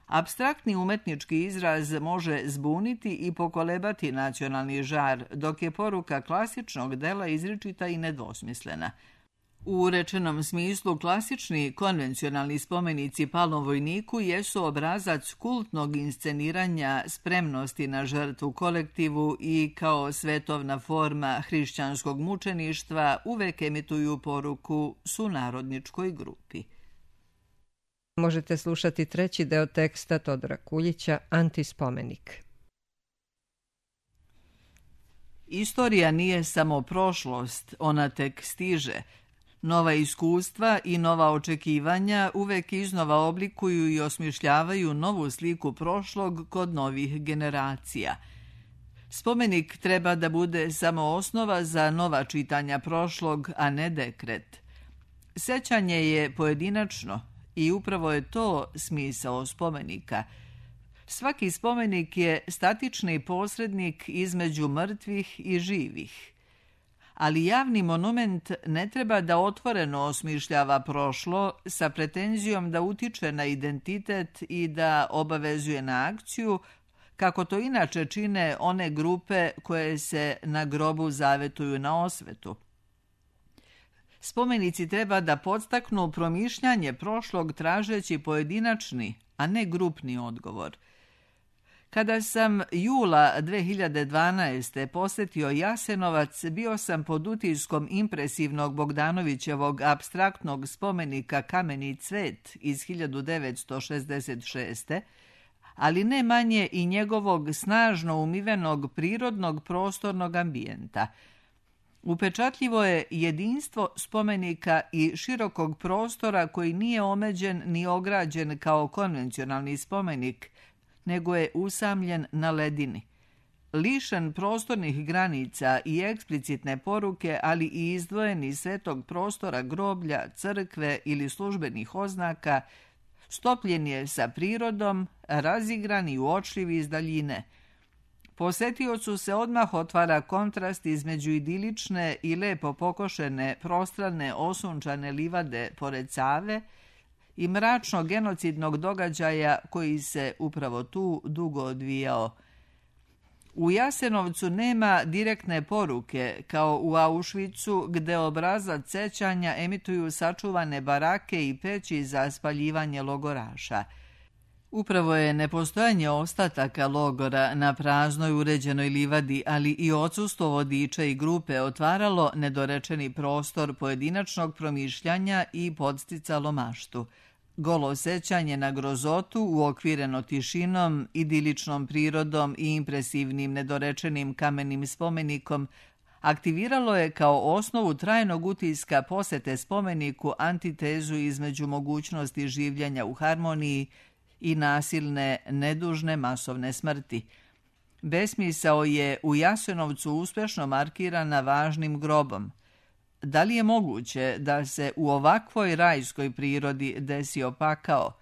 Apstraktni umetnički izraz može zbuniti i pokolebati nacionalni žar, dok je poruka klasičnog dela izričita i nedvosmislena. U rečenom smislu klasični konvencionalni spomenici palom vojniku jesu obrazac kultnog insceniranja spremnosti na žrtvu kolektivu i kao svetovna forma hrišćanskog mučeništva uvek emituju poruku sunarodničkoj grupi. Možete slušati treći deo teksta Todora Kuljića, Antispomenik. Istorija nije samo prošlost, ona tek stiže. Nova iskustva i nova očekivanja uvek iznova oblikuju i osmišljavaju novu sliku prošlog kod novih generacija. Spomenik treba da bude samo osnova za nova čitanja prošlog, a ne dekret. Sećanje je pojedinačno i upravo je to smisao spomenika. Svaki spomenik je statični posrednik između mrtvih i živih. Ali javni monument ne treba da otvoreno osmišljava prošlo sa pretenzijom da utiče na identitet i da obavezuje na akciju, kako to inače čine one grupe koje se na grobu zavetuju na osvetu. Spomenici treba da podstaknu promišljanje prošlog tražeći pojedinačni, a ne grupni odgovor. Kada sam jula 2012. posetio Jasenovac, bio sam pod utiskom impresivnog Bogdanovićevog apstraktnog spomenika Kameni cvet iz 1966. ali ne manje i njegovog snažno umivenog prirodnog prostornog ambijenta. Upečatljivo je jedinstvo spomenika i širokog prostora koji nije omeđen ni ograđen kao konvencionalni spomenik, nego je usamljen na ledini. Lišen prostornih granica i eksplicitne poruke, ali i izdvojeni svetog prostora groblja, crkve ili službenih oznaka, stopljen je sa prirodom, razigran i uočljiv iz daljine. Posetiocu se odmah otvara kontrast između idilične i lepo pokošene, prostrane, osunčane livade pored Save i mračno genocidnog događaja koji se upravo tu dugo odvijao. U Jasenovcu nema direktne poruke, kao u Auschwitzu, gde obrazac sećanja emituju sačuvane barake i peći za spaljivanje logoraša. Upravo je nepostojanje ostataka logora na praznoj uređenoj livadi, ali i odsustvo vodiča i grupe otvaralo nedorečeni prostor pojedinačnog promišljanja i podsticalo maštu. Golo sećanje na grozotu, uokvireno tišinom, idiličnom prirodom i impresivnim nedorečenim kamenim spomenikom, aktiviralo je kao osnovu trajnog utiska posete spomeniku antitezu između mogućnosti življenja u harmoniji i nasilne, nedužne masovne smrti. Besmisao je u Jasenovcu uspešno markirana važnim grobom. Da li je moguće da se u ovakvoj rajskoj prirodi desio pakao?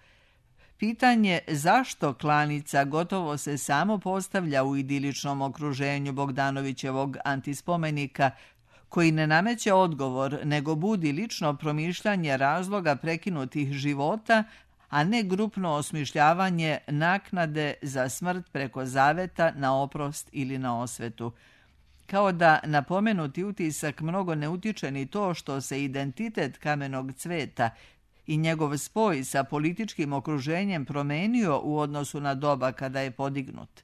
Pitanje zašto klanica gotovo se samo postavlja u idiličnom okruženju Bogdanovićevog antispomenika, koji ne nameće odgovor, nego budi lično promišljanje razloga prekinutih života, a ne grupno osmišljavanje naknade za smrt preko zaveta na oprost ili na osvetu. Kao da napomenuti utisak mnogo ne utiče ni to što se identitet kamenog cveta i njegov spoj sa političkim okruženjem promenio u odnosu na doba kada je podignut.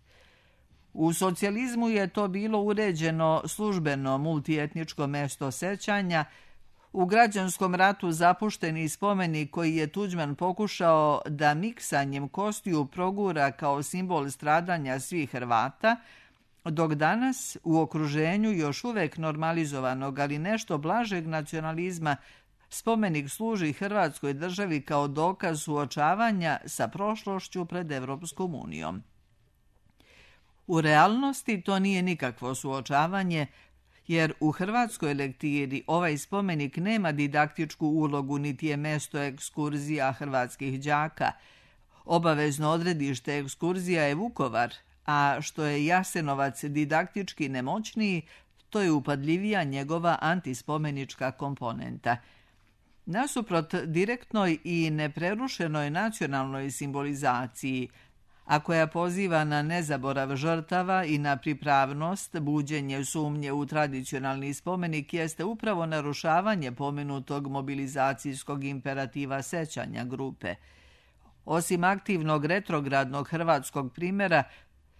U socijalizmu je to bilo uređeno službeno multietničko mesto sećanja, u građanskom ratu zapušteni spomenik koji je Tuđman pokušao da miksanjem kostiju progura kao simbol stradanja svih Hrvata, dok danas u okruženju još uvek normalizovanog, ali nešto blažeg nacionalizma, spomenik služi Hrvatskoj državi kao dokaz suočavanja sa prošlošću pred Evropskom unijom. U realnosti to nije nikakvo suočavanje, jer u hrvatskoj lektiri ovaj spomenik nema didaktičku ulogu niti je mesto ekskurzija hrvatskih đaka. Obavezno odredište ekskurzija je Vukovar, a što je Jasenovac didaktički nemoćniji, to je upadljivija njegova antispomenička komponenta. Nasuprot direktnoj i neprerušenoj nacionalnoj simbolizaciji, a koja poziva na nezaborav žrtava i na pripravnost, buđenje sumnje u tradicionalni spomenik jeste upravo narušavanje pomenutog mobilizacijskog imperativa sećanja grupe. Osim aktivnog retrogradnog hrvatskog primjera,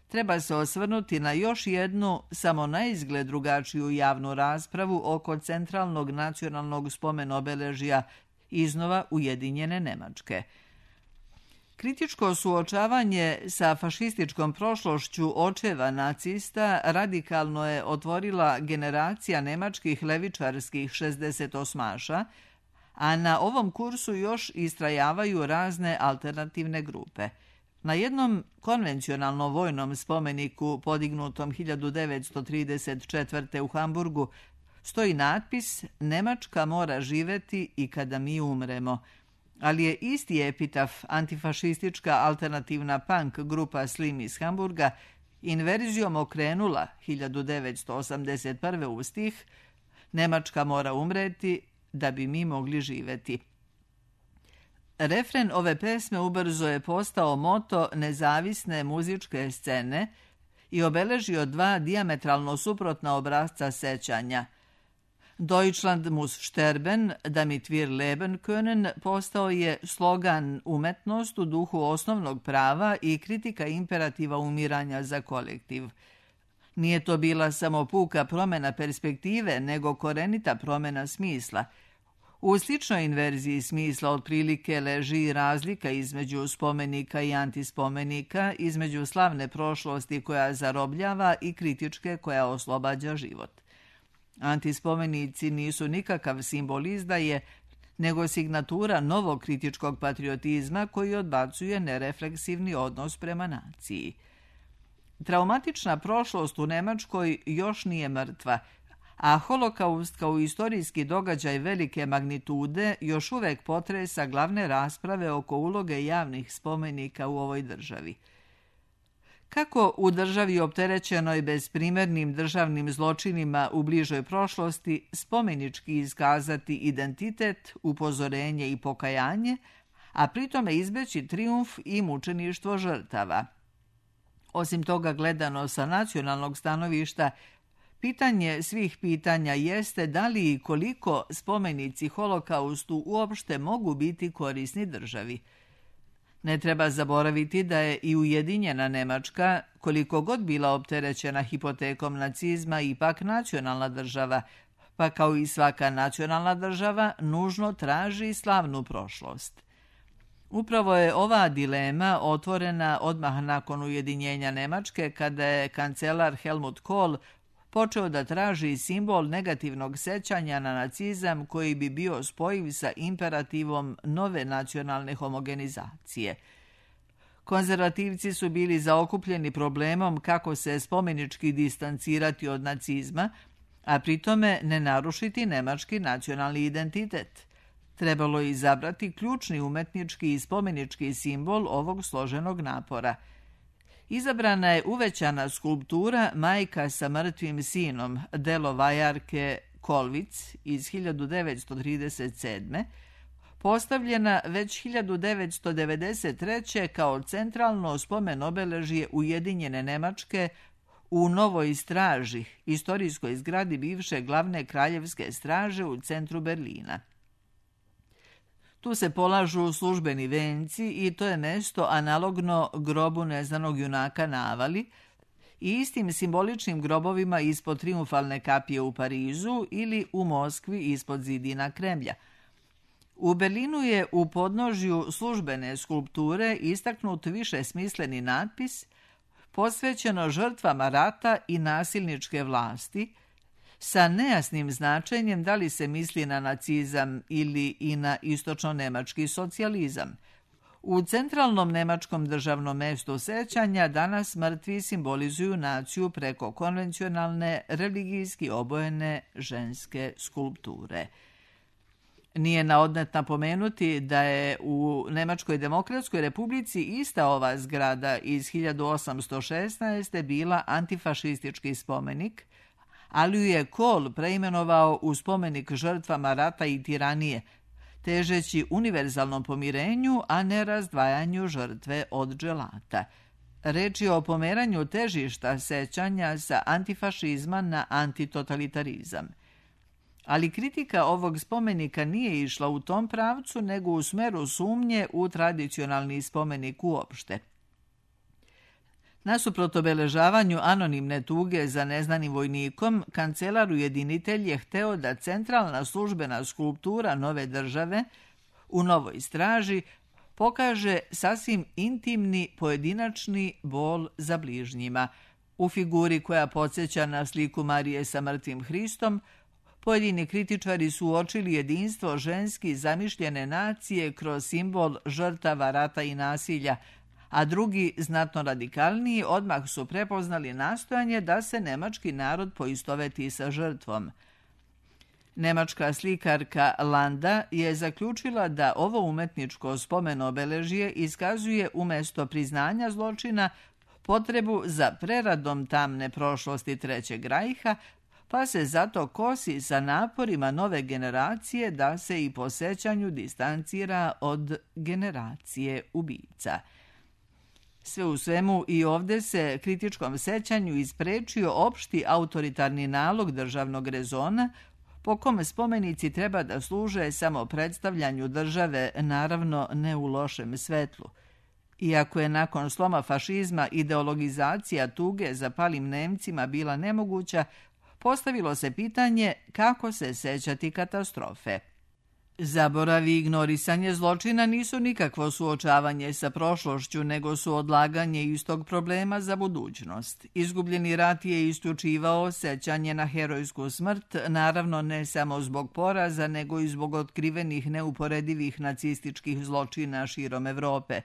treba se osvrnuti na još jednu, samo naizgled drugačiju javnu raspravu oko centralnog nacionalnog spomen-obeležja iznova Ujedinjene Nemačke. Kritičko suočavanje sa fašističkom prošlošću očeva nacista radikalno je otvorila generacija nemačkih levičarskih 68-aša, a na ovom kursu još istrajavaju razne alternativne grupe. Na jednom konvencionalno vojnom spomeniku podignutom 1934. u Hamburgu stoji natpis "Nemačka mora živeti i kada mi umremo", ali je isti epitaf antifašistička alternativna punk grupa Slim iz Hamburga inverzijom okrenula 1981. u stih "Nemačka mora umreti da bi mi mogli živeti". Refren ove pesme ubrzo je postao moto nezavisne muzičke scene i obeležio dva dijametralno suprotna obrasca sećanja. Deutschland muss sterben, damit wir leben können postao je slogan umetnost u duhu osnovnog prava i kritika imperativa umiranja za kolektiv. Nije to bila samo puka promjena perspektive, nego korenita promjena smisla. U sličnoj inverziji smisla otprilike leži i razlika između spomenika i antispomenika, između slavne prošlosti koja zarobljava i kritičke koja oslobađa život. Antispomenici nisu nikakav simbol izdaje, nego signatura novog kritičkog patriotizma koji odbacuje nerefleksivni odnos prema naciji. Traumatična prošlost u Nemačkoj još nije mrtva, a holokaust kao istorijski događaj velike magnitude još uvek potresa glavne rasprave oko uloge javnih spomenika u ovoj državi. Kako u državi opterećenoj bezprimernim državnim zločinima u bližoj prošlosti spomenički iskazati identitet, upozorenje i pokajanje, a pritome izbeći trijumf i mučeništvo žrtava? Osim toga, gledano sa nacionalnog stanovišta, pitanje svih pitanja jeste da li i koliko spomenici holokaustu uopšte mogu biti korisni državi. Ne treba zaboraviti da je i Ujedinjena Nemačka, koliko god bila opterećena hipotekom nacizma, ipak nacionalna država, pa kao i svaka nacionalna država nužno traži slavnu prošlost. Upravo je ova dilema otvorena odmah nakon ujedinjenja Nemačke, kada je kancelar Helmut Kohl počeo da traži simbol negativnog sećanja na nacizam koji bi bio spojiv sa imperativom nove nacionalne homogenizacije. Konzervativci su bili zaokupljeni problemom kako se spomenički distancirati od nacizma, a pritome ne narušiti nemački nacionalni identitet. Trebalo je izabrati ključni umetnički i spomenički simbol ovog složenog napora. Izabrana je uvećana skulptura Majka sa mrtvim sinom, delo vajarke Kolvic iz 1937. postavljena već 1993. kao centralno spomen obeležje Ujedinjene Nemačke u Novoj straži, istorijskoj zgradi bivše glavne kraljevske straže u centru Berlina. Tu se polažu službeni venci i to je mesto analogno grobu neznanog junaka na Avali i istim simboličnim grobovima ispod Trijumfalne kapije u Parizu ili u Moskvi ispod zidina Kremlja. U Berlinu je u podnožju službene skulpture istaknut višesmisleni natpis posvećeno žrtvama rata i nasilničke vlasti, sa nejasnim značenjem da li se misli na nacizam ili i na istočno-nemački socijalizam. U centralnom nemačkom državnom mestu sećanja danas mrtvi simbolizuju naciju preko konvencionalne, religijski obojene ženske skulpture. Nije na odmet napomenuti da je u Nemačkoj demokratskoj republici ista ova zgrada iz 1816. bila antifašistički spomenik, ali ju je Kohl preimenovao u spomenik žrtvama rata i tiranije, težeći univerzalnom pomirenju, a ne razdvajanju žrtve od dželata. Reč je o pomeranju težišta sećanja sa antifašizma na antitotalitarizam. Ali kritika ovog spomenika nije išla u tom pravcu, nego u smeru sumnje u tradicionalni spomenik uopšte. Nasuprot obeležavanju anonimne tuge za neznanim vojnikom, kancelar ujedinitelj je hteo da centralna službena skulptura nove države u Novoj straži pokaže sasvim intimni pojedinačni bol za bližnjima. U figuri koja podsjeća na sliku Marije sa mrtvim Hristom, pojedini kritičari su uočili jedinstvo ženski zamišljene nacije kroz simbol žrtava rata i nasilja, a drugi, znatno radikalniji, odmah su prepoznali nastojanje da se nemački narod poistoveti sa žrtvom. Nemačka slikarka Landa je zaključila da ovo umetničko spomen obeležje iskazuje umjesto priznanja zločina potrebu za preradom tamne prošlosti Trećeg rajha, pa se zato kosi sa naporima nove generacije da se i po sećanju distancira od generacije ubica. Sve u svemu i ovdje se kritičkom sećanju isprečio opšti autoritarni nalog državnog rezona, po kome spomenici treba da služe samo predstavljanju države, naravno ne u lošem svetlu. Iako je nakon sloma fašizma ideologizacija tuge za palim Nemcima bila nemoguća, postavilo se pitanje kako se sećati katastrofe. Zaborav i ignorisanje zločina nisu nikakvo suočavanje sa prošlošću, nego su odlaganje istog problema za budućnost. Izgubljeni rat je isključivao sećanje na herojsku smrt, naravno ne samo zbog poraza, nego i zbog otkrivenih neuporedivih nacističkih zločina širom Evrope.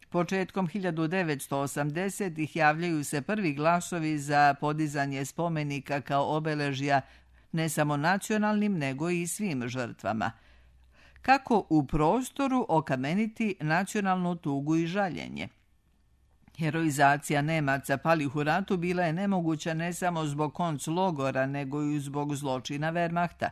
Početkom 1980-ih javljaju se prvi glasovi za podizanje spomenika kao obeležja ne samo nacionalnim, nego i svim žrtvama. Kako u prostoru okameniti nacionalnu tugu i žaljenje? Heroizacija Nemaca palih u ratu bila je nemoguća ne samo zbog konclogora, nego i zbog zločina Wehrmachta.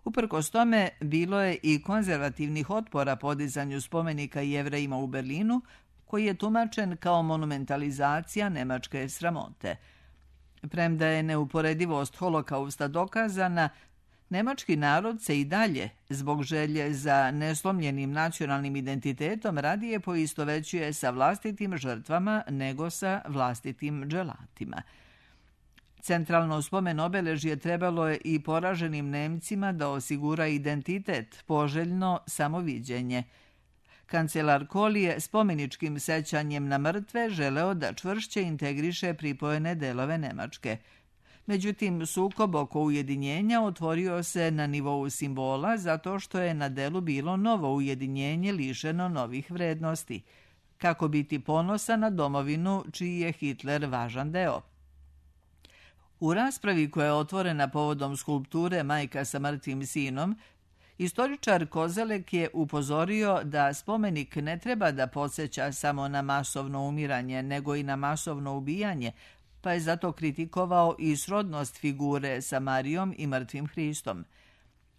Uprkos tome, bilo je i konzervativnih otpora podizanju spomenika Jevrejima u Berlinu, koji je tumačen kao monumentalizacija nemačke sramote. Premda je neuporedivost holokausta dokazana, nemački narod se i dalje, zbog želje za neslomljenim nacionalnim identitetom, radije poistovećuje sa vlastitim žrtvama nego sa vlastitim dželatima. Centralno spomen obeležje trebalo je i poraženim Nemcima da osigura identitet, poželjno samoviđenje. Kancelar Kohl je spomeničkim sećanjem na mrtve želeo da čvršće integriše pripojene delove Nemačke. Međutim, sukob oko ujedinjenja otvorio se na nivou simbola zato što je na delu bilo novo ujedinjenje lišeno novih vrednosti. Kako biti ponosan na domovinu čiji je Hitler važan deo? U raspravi koja je otvorena povodom skulpture Majka sa mrtvim sinom, istoričar Kozelek je upozorio da spomenik ne treba da podsjeća samo na masovno umiranje, nego i na masovno ubijanje, pa je zato kritikovao i srodnost figure sa Marijom i mrtvim Hristom.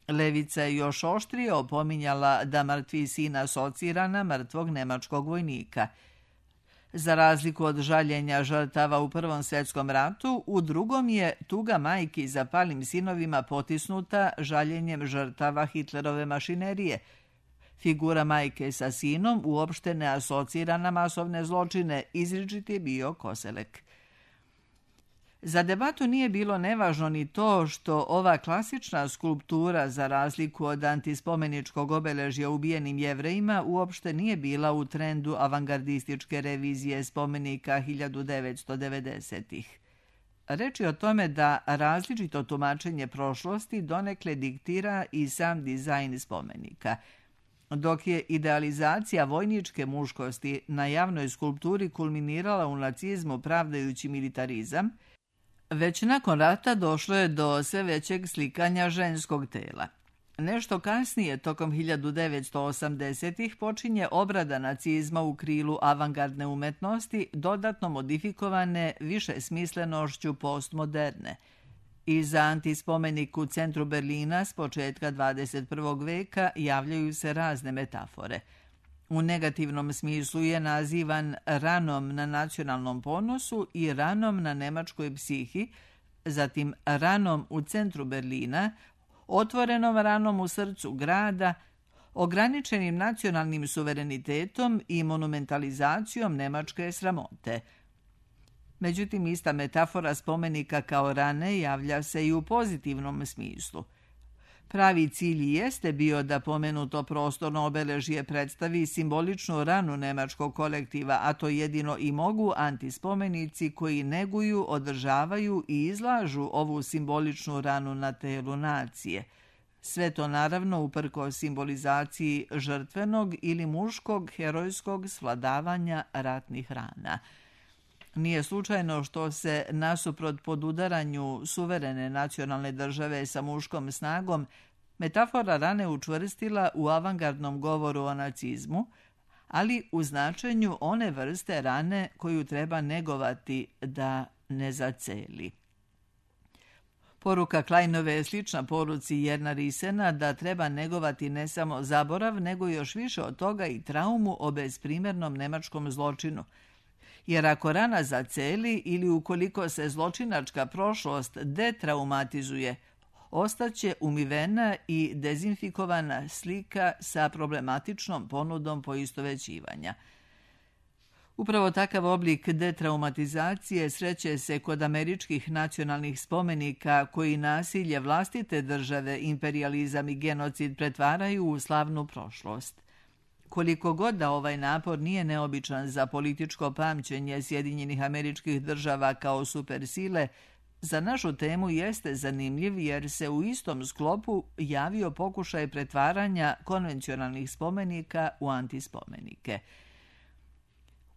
Levica je još oštrije opominjala da mrtvi sin asocira na mrtvog nemačkog vojnika. Za razliku od žaljenja žrtava u Prvom svjetskom ratu, u drugom je tuga majki za palim sinovima potisnuta žaljenjem žrtava Hitlerove mašinerije. Figura majke sa sinom uopšte ne asocira na masovne zločine, izričit je bio Koselek. Za debatu nije bilo nevažno ni to što ova klasična skulptura, za razliku od antispomeničkog obeležja ubijenim Jevrejima, uopšte nije bila u trendu avangardističke revizije spomenika 1990-ih. Reč je o tome da različito tumačenje prošlosti donekle diktira i sam dizajn spomenika. Dok je idealizacija vojničke muškosti na javnoj skulpturi kulminirala u nacizmu pravdajući militarizam, već nakon rata došlo je do sve većeg slikanja ženskog tela. Nešto kasnije, tokom 1980-ih, počinje obrada nacizma u krilu avangardne umetnosti, dodatno modifikovane više smislenošću postmoderne. I za antispomenik u centru Berlina s početka 21. veka javljaju se razne metafore. U negativnom smislu je nazivan ranom na nacionalnom ponosu i ranom na nemačkoj psihi, zatim ranom u centru Berlina, otvorenom ranom u srcu grada, ograničenim nacionalnim suverenitetom i monumentalizacijom nemačke sramote. Međutim, ista metafora spomenika kao rane javlja se i u pozitivnom smislu. Pravi cilj jeste bio da pomenuto prostorno obeležje predstavi simboličnu ranu nemačkog kolektiva, a to jedino i mogu antispomenici koji neguju, održavaju i izlažu ovu simboličnu ranu na telu nacije. Sve to naravno uprkos simbolizaciji žrtvenog ili muškog herojskog svladavanja ratnih rana. Nije slučajno što se nasuprot podudaranju suverene nacionalne države sa muškom snagom metafora rane učvrstila u avangardnom govoru o nacizmu, ali u značenju one vrste rane koju treba negovati da ne zaceli. Poruka Kleinove je slična poruci Jerna Risena da treba negovati ne samo zaborav, nego još više od toga i traumu o bezprimernom nemačkom zločinu. Jer ako rana zaceli ili ukoliko se zločinačka prošlost detraumatizuje, ostaće umivena i dezinfikovana slika sa problematičnom ponudom poistovećivanja. Upravo takav oblik detraumatizacije sreće se kod američkih nacionalnih spomenika koji nasilje vlastite države, imperijalizam i genocid pretvaraju u slavnu prošlost. Koliko god da ovaj napor nije neobičan za političko pamćenje Sjedinjenih Američkih Država kao supersile, za našu temu jeste zanimljiv jer se u istom sklopu javio pokušaj pretvaranja konvencionalnih spomenika u antispomenike.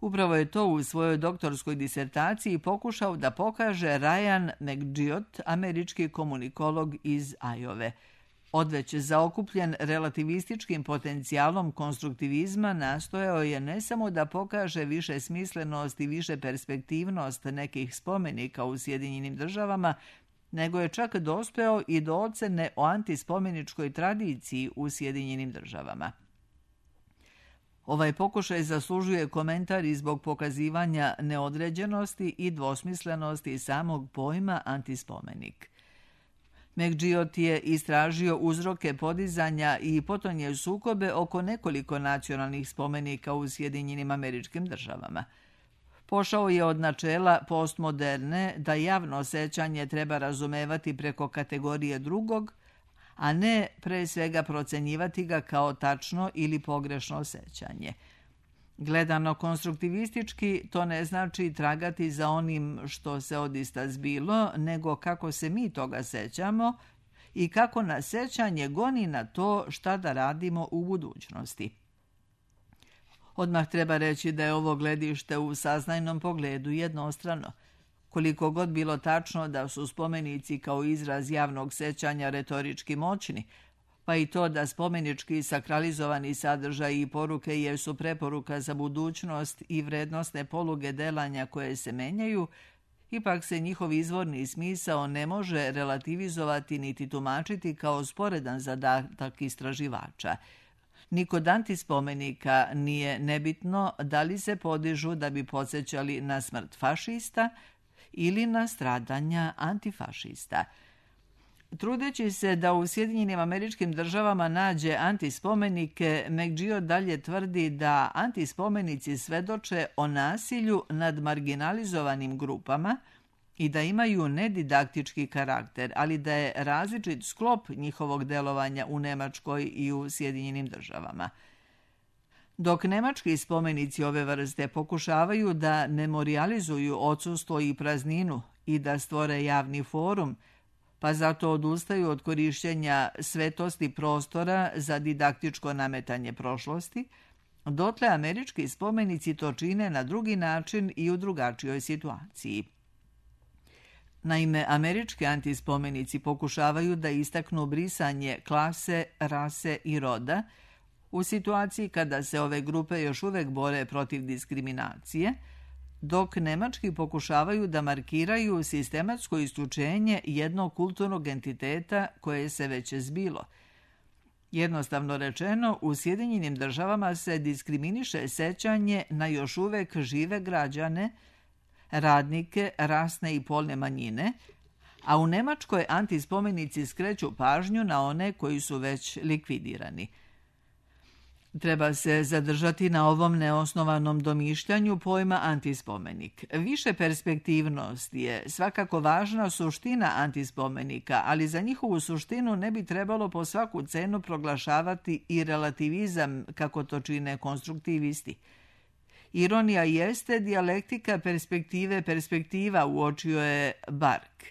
Upravo je to u svojoj doktorskoj disertaciji pokušao da pokaže Ryan McGiott, američki komunikolog iz Ajove. Odveć zaokupljen relativističkim potencijalom konstruktivizma nastojao je ne samo da pokaže više smislenost i više perspektivnost nekih spomenika u Sjedinjenim Državama, nego je čak dospeo i do ocene o antispomeničkoj tradiciji u Sjedinjenim Državama. Ovaj pokušaj zaslužuje komentar i zbog pokazivanja neodređenosti i dvosmislenosti samog pojma antispomenik. McGiott je istražio uzroke podizanja i potonje sukobe oko nekoliko nacionalnih spomenika u Sjedinjenim Američkim Državama. Pošao je od načela postmoderne da javno sećanje treba razumevati preko kategorije drugog, a ne pre svega procenjivati ga kao tačno ili pogrešno sećanje. Gledano konstruktivistički, to ne znači tragati za onim što se odista zbilo, nego kako se mi toga sećamo i kako nas sećanje goni na to šta da radimo u budućnosti. Odmah treba reći da je ovo gledište u saznajnom pogledu jednostrano. Koliko god bilo tačno da su spomenici kao izraz javnog sećanja retorički moćni, pa i to da spomenički sakralizovani sadržaji i poruke jesu preporuka za budućnost i vrednosne poluge delanja koje se menjaju, ipak se njihov izvorni smisao ne može relativizovati niti tumačiti kao sporedan zadatak istraživača. Ni kod antispomenika nije nebitno da li se podižu da bi podsjećali na smrt fašista ili na stradanja antifašista. Trudeći se da u Sjedinjenim Američkim Državama nađe antispomenike, McGill dalje tvrdi da antispomenici svedoče o nasilju nad marginalizovanim grupama i da imaju nedidaktički karakter, ali da je različit sklop njihovog delovanja u Nemačkoj i u Sjedinjenim Državama. Dok nemački spomenici ove vrste pokušavaju da memorijalizuju odsustvo i prazninu i da stvore javni forum, pa zato odustaju od korišćenja svetosti prostora za didaktičko nametanje prošlosti, dotle američki spomenici to čine na drugi način i u drugačijoj situaciji. Naime, američki antispomenici pokušavaju da istaknu brisanje klase, rase i roda u situaciji kada se ove grupe još uvek bore protiv diskriminacije, dok nemački pokušavaju da markiraju sistematsko isključenje jednog kulturnog entiteta koje se već zbilo. Jednostavno rečeno, u Sjedinjenim Državama se diskriminiše sećanje na još uvek žive građane, radnike, rasne i polne manjine, a u Nemačkoj antispomenici skreću pažnju na one koji su već likvidirani. Treba se zadržati na ovom neosnovanom domišljanju pojma antispomenik. Više perspektivnost je svakako važna suština antispomenika, ali za njihovu suštinu ne bi trebalo po svaku cenu proglašavati i relativizam kako to čine konstruktivisti. Ironija jeste dijalektika perspektiva, uočio je Bark.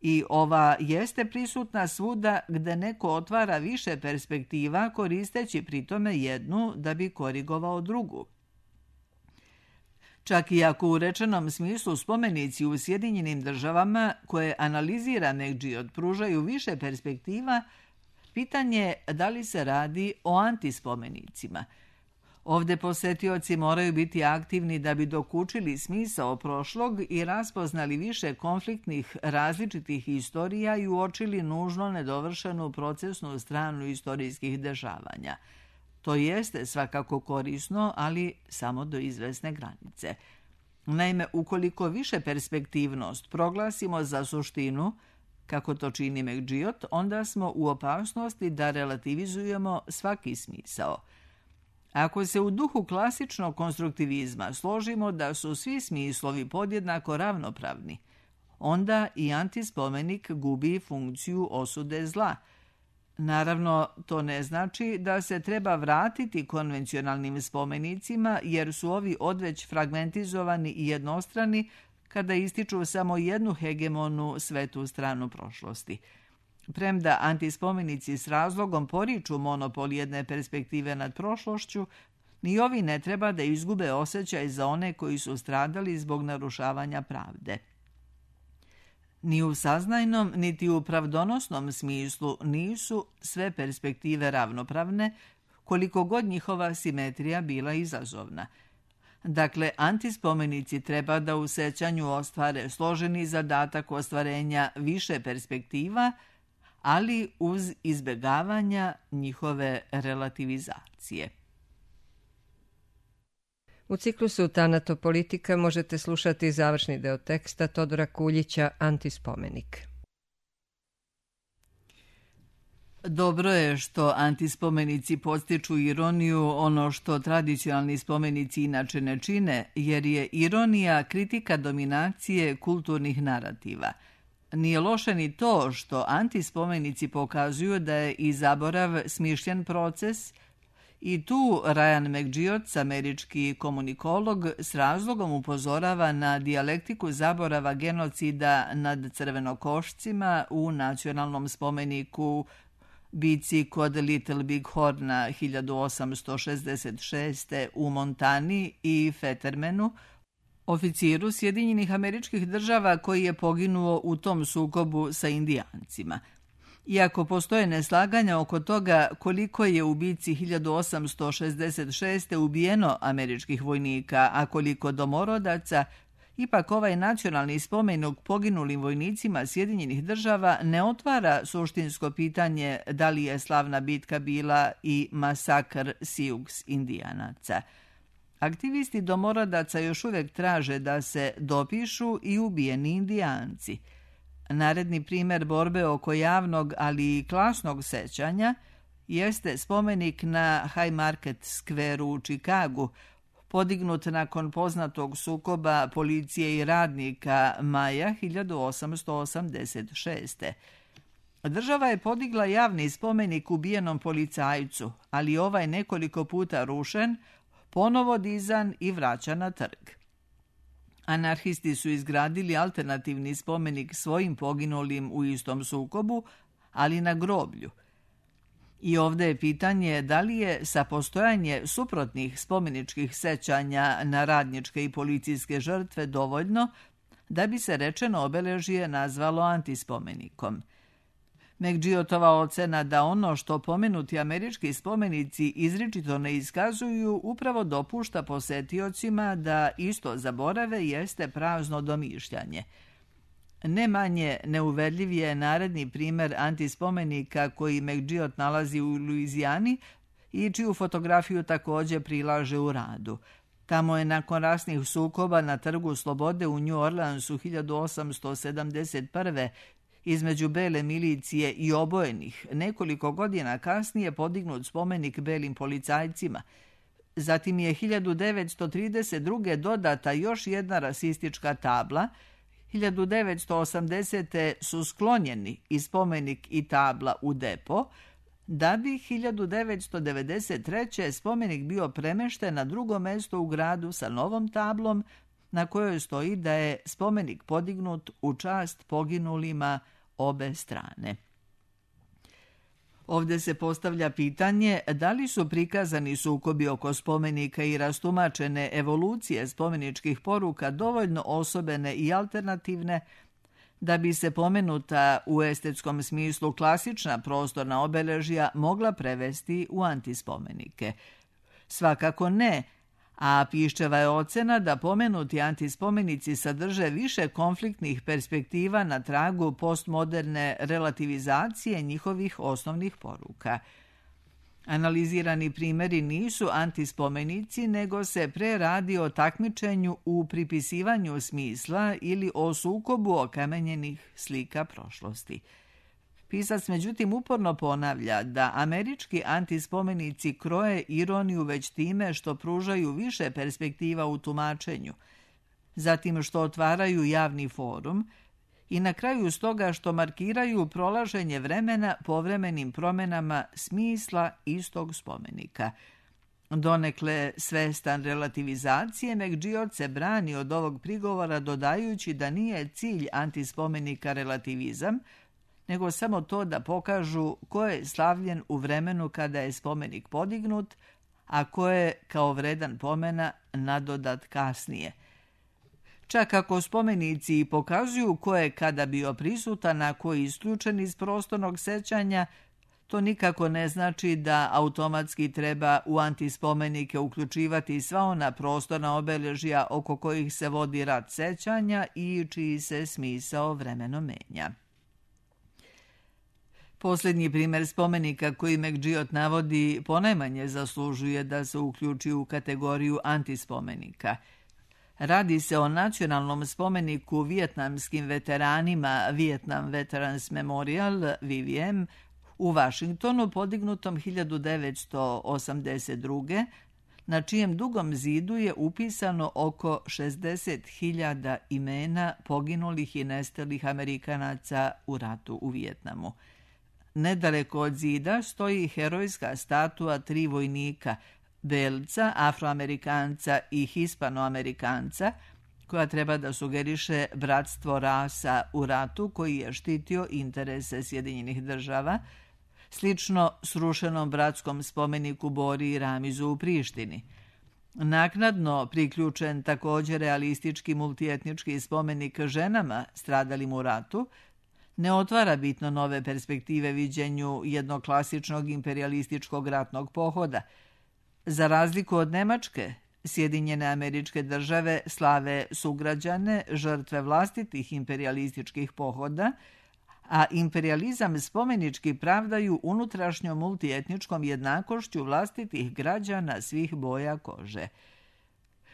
I ova jeste prisutna svuda gde neko otvara više perspektiva koristeći pritome jednu da bi korigovao drugu. Čak i ako u rečenom smislu spomenici u Sjedinjenim Državama koje analizira McGill pružaju više perspektiva, pitanje je da li se radi o antispomenicima. Ovde posetioci moraju biti aktivni da bi dokučili smisao prošlog i raspoznali više konfliktnih različitih istorija i uočili nužno nedovršenu procesnu stranu istorijskih dešavanja. To jeste svakako korisno, ali samo do izvesne granice. Naime, ukoliko više perspektivnost proglasimo za suštinu, kako to čini McGill, onda smo u opasnosti da relativizujemo svaki smisao. Ako se u duhu klasičnog konstruktivizma složimo da su svi smislovi podjednako ravnopravni, onda i antispomenik gubi funkciju osude zla. Naravno, to ne znači da se treba vratiti konvencionalnim spomenicima, jer su ovi odveć fragmentizovani i jednostrani kada ističu samo jednu hegemonu svetu stranu prošlosti. Premda antispomenici s razlogom poriču monopol jedne perspektive nad prošlošću, ni ovi ne treba da izgube osjećaj za one koji su stradali zbog narušavanja pravde. Ni u saznajnom, niti u pravdonosnom smislu nisu sve perspektive ravnopravne, koliko god njihova simetrija bila izazovna. Dakle, antispomenici treba da u sećanju ostvare složeni zadatak ostvarenja više perspektiva, ali uz izbjegavanja njihove relativizacije. U ciklusu Tanatopolitika možete slušati završni deo teksta Todora Kuljića Antispomenik. Dobro je što antispomenici podstiču ironiju, ono što tradicionalni spomenici inače ne čine, jer je ironija kritika dominacije kulturnih narativa. Nije loše ni to što antispomenici pokazuju da je i zaborav smišljen proces i tu Ryan McGeoch, američki komunikolog, s razlogom upozorava na dijalektiku zaborava genocida nad crvenokošcima u nacionalnom spomeniku bici kod Little Big Horna 1866. u Montani i Fettermanu, oficiru Sjedinjenih Američkih Država koji je poginuo u tom sukobu sa Indijancima. Iako postoje neslaganja oko toga koliko je u bici 1866. ubijeno američkih vojnika, a koliko domorodaca, ipak ovaj nacionalni spomenik poginulim vojnicima Sjedinjenih Država ne otvara suštinsko pitanje da li je slavna bitka bila i masakr Sioux Indijanaca. Aktivisti domorodaca još uvijek traže da se dopišu i ubijeni Indijanci. Naredni primjer borbe oko javnog, ali i klasnog sećanja jeste spomenik na Haymarket Square u Čikagu, podignut nakon poznatog sukoba policije i radnika maja 1886. Država je podigla javni spomenik ubijenom policajcu, ali ovaj nekoliko puta rušen, ponovo dizan i vraćan na trg. Anarhisti su izgradili alternativni spomenik svojim poginulim u istom sukobu, ali na groblju. I ovdje je pitanje da li je sa postojanje suprotnih spomeničkih sećanja na radničke i policijske žrtve dovoljno da bi se rečeno obeležje nazvalo antispomenikom. McGeochova ocena da ono što pomenuti američki spomenici izričito ne iskazuju upravo dopušta posetiocima da isto zaborave jeste prazno domišljanje. Ne manje neuverljiv je naredni primjer antispomenika koji McGeoch nalazi u Luizijani i čiju fotografiju također prilaže u radu. Tamo je nakon rasnih sukoba na Trgu Slobode u New Orleansu 1871. između bele milicije i obojenih nekoliko godina kasnije podignut spomenik belim policajcima. Zatim je 1932. dodata još jedna rasistička tabla. 1980. su sklonjeni i spomenik i tabla u depo, da bi 1993. spomenik bio premešten na drugo mjesto u gradu sa novom tablom na kojoj stoji da je spomenik podignut u čast poginulima obe strane. Ovdje se postavlja pitanje da li su prikazani sukobi oko spomenika i rastumačene evolucije spomeničkih poruka dovoljno osobene i alternativne da bi se pomenuta u estetskom smislu klasična prostorna obeležja mogla prevesti u antispomenike. Svakako ne, a Piščeva je ocena da pomenuti antispomenici sadrže više konfliktnih perspektiva na tragu postmoderne relativizacije njihovih osnovnih poruka. Analizirani primjeri nisu antispomenici, nego se pre radi o takmičenju u pripisivanju smisla ili o sukobu okamenjenih slika prošlosti. Pisac međutim uporno ponavlja da američki antispomenici kroje ironiju već time što pružaju više perspektiva u tumačenju, zatim što otvaraju javni forum i na kraju stoga što markiraju prolaženje vremena povremenim promjenama smisla istog spomenika. Donekle svestan relativizacije, McGeoch se brani od ovog prigovora dodajući da nije cilj antispomenika relativizam, nego samo to da pokažu ko je slavljen u vremenu kada je spomenik podignut, a ko je kao vredan pomena nadodat kasnije. Čak ako spomenici pokazuju ko je kada bio prisutan, a ko je isključen iz prostornog sećanja, to nikako ne znači da automatski treba u antispomenike uključivati sva ona prostorna obeležja oko kojih se vodi rat sećanja i čiji se smisao vremeno menja. Posljednji primjer spomenika koji McGeoch navodi ponajmanje zaslužuje da se uključi u kategoriju antispomenika. Radi se o nacionalnom spomeniku vijetnamskim veteranima Vietnam Veterans Memorial, VVM, u Washingtonu podignutom 1982. na čijem dugom zidu je upisano oko 60.000 imena poginulih i nestalih Amerikanaca u ratu u Vijetnamu. Nedaleko od zida stoji herojska statua 3 vojnika, belca, afroamerikanca i hispanoamerikanca, koja treba da sugeriše bratstvo rasa u ratu koji je štitio interese Sjedinjenih država, slično srušenom bratskom spomeniku Bori i Ramizu u Prištini. Naknadno priključen također realistički multietnički spomenik ženama stradalim u ratu, ne otvara bitno nove perspektive viđenju jednog klasičnog imperialističkog ratnog pohoda. Za razliku od Nemačke, Sjedinjene Američke Države slave sugrađane, žrtve vlastitih imperialističkih pohoda, a imperializam spomenički pravdaju unutrašnjom multietničkom jednakošću vlastitih građana svih boja kože.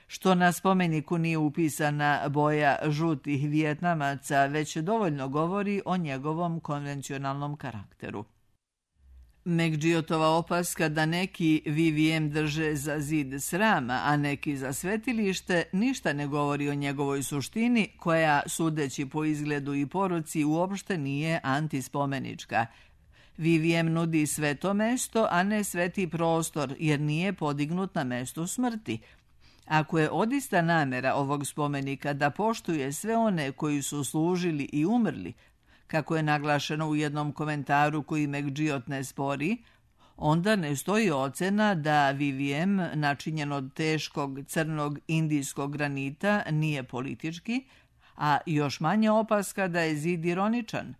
Što na spomeniku nije upisana boja žutih Vijetnamaca, već dovoljno govori o njegovom konvencionalnom karakteru. McGiotova opaska da neki VVM drže za zid srama, a neki za svetilište, ništa ne govori o njegovoj suštini, koja, sudeći po izgledu i poruci, uopšte nije antispomenička. VVM nudi sveto mesto, a ne sveti prostor, jer nije podignut na mestu smrti. Ako je odista namera ovog spomenika da poštuje sve one koji su služili i umrli, kako je naglašeno u jednom komentaru koji McGiot ne spori, onda ne stoji ocena da VVM, načinjen od teškog crnog indijskog granita, nije politički, a još manje opaska da je zid ironičan.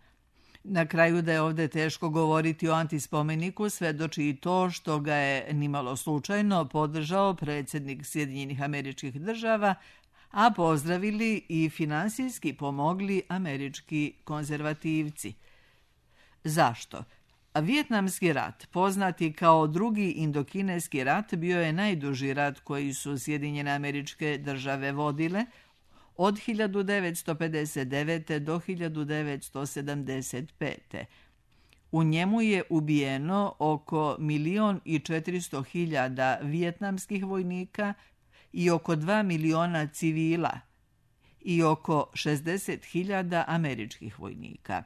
Na kraju da je ovdje teško govoriti o antispomeniku svedoči i to što ga je nimalo slučajno podržao predsjednik Sjedinjenih Američkih Država, a pozdravili i finansijski pomogli američki konzervativci. Zašto? Vijetnamski rat, poznati kao drugi indokineski rat, bio je najduži rat koji su Sjedinjene Američke Države vodile od 1959. do 1975. U njemu je ubijeno oko 1.400.000 vijetnamskih vojnika i oko 2 miliona civila i oko 60.000 američkih vojnika.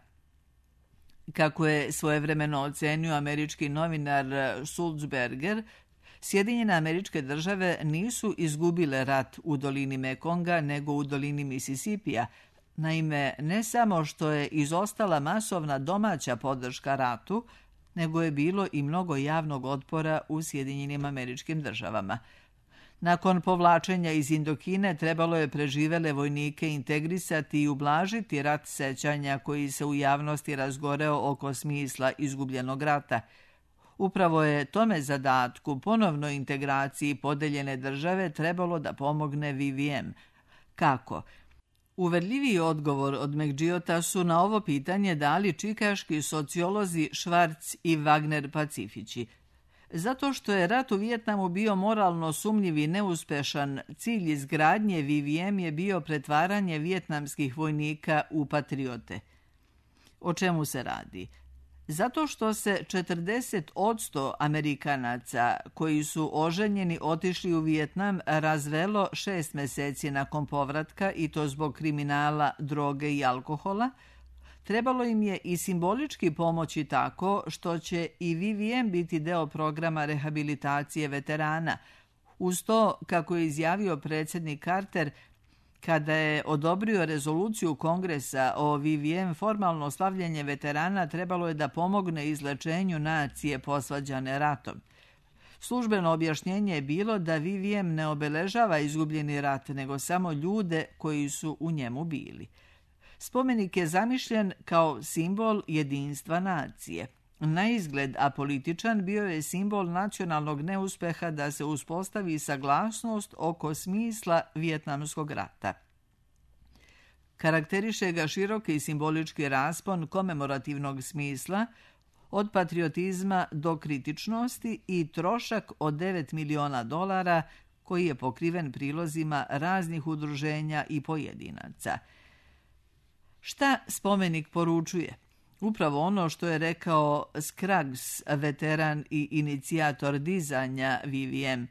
Kako je svojevremeno ocenio američki novinar Sulzberger, Sjedinjene Američke Države nisu izgubile rat u dolini Mekonga, nego u dolini Misisipija. Naime, ne samo što je izostala masovna domaća podrška ratu, nego je bilo i mnogo javnog otpora u Sjedinjenim Američkim Državama. Nakon povlačenja iz Indokine trebalo je preživele vojnike integrisati i ublažiti rat sećanja koji se u javnosti razgoreo oko smisla izgubljenog rata. Upravo je tome zadatku, ponovnoj integraciji podeljene države, trebalo da pomogne VVM. Kako? Uverljiviji odgovor od McGiota su na ovo pitanje dali čikaški sociolozi Schwartz i Wagner Pacifići. Zato što je rat u Vijetnamu bio moralno sumnjiv i neuspešan, cilj izgradnje VVM je bio pretvaranje vijetnamskih vojnika u patriote. O čemu se radi? Zato što se 40% Amerikanaca koji su oženjeni otišli u Vijetnam razvelo 6 meseci nakon povratka, i to zbog kriminala, droge i alkohola, trebalo im je i simbolički pomoći tako što će i VVM biti deo programa rehabilitacije veterana. Uz to, kako je izjavio predsjednik Carter, kada je odobrio rezoluciju Kongresa o VVM, formalno slavljenje veterana trebalo je da pomogne izlečenju nacije posvađane ratom. Službeno objašnjenje je bilo da VVM ne obeležava izgubljeni rat, nego samo ljude koji su u njemu bili. Spomenik je zamišljen kao simbol jedinstva nacije. Na izgled apolitičan, bio je simbol nacionalnog neuspeha da se uspostavi saglasnost oko smisla vijetnamskog rata. Karakteriše ga široki i simbolički raspon komemorativnog smisla, od patriotizma do kritičnosti, i trošak od $9 miliona koji je pokriven prilozima raznih udruženja i pojedinaca. Šta spomenik poručuje? Upravo ono što je rekao Scruggs, veteran i inicijator dizanja VVM.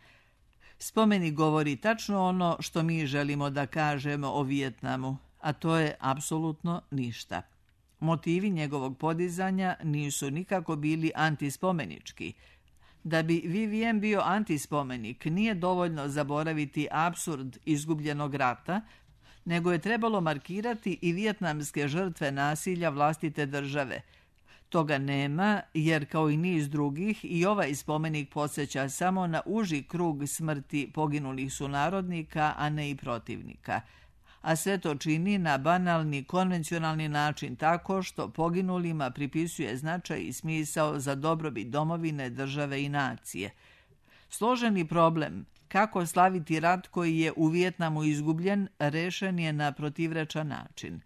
Spomenik govori tačno ono što mi želimo da kažemo o Vijetnamu, a to je apsolutno ništa. Motivi njegovog podizanja nisu nikako bili antispomenički. Da bi Vivien bio antispomenik, nije dovoljno zaboraviti apsurd izgubljenog rata, nego je trebalo markirati i vijetnamske žrtve nasilja vlastite države. Toga nema, jer kao i niz drugih, i ovaj spomenik podsjeća samo na uži krug smrti poginulih sunarodnika, a ne i protivnika. A sve to čini na banalni, konvencionalni način tako što poginulima pripisuje značaj i smisao za dobrobit domovine, države i nacije. Složeni problem kako slaviti rat koji je u Vijetnamu izgubljen rešen je na protivrečan način.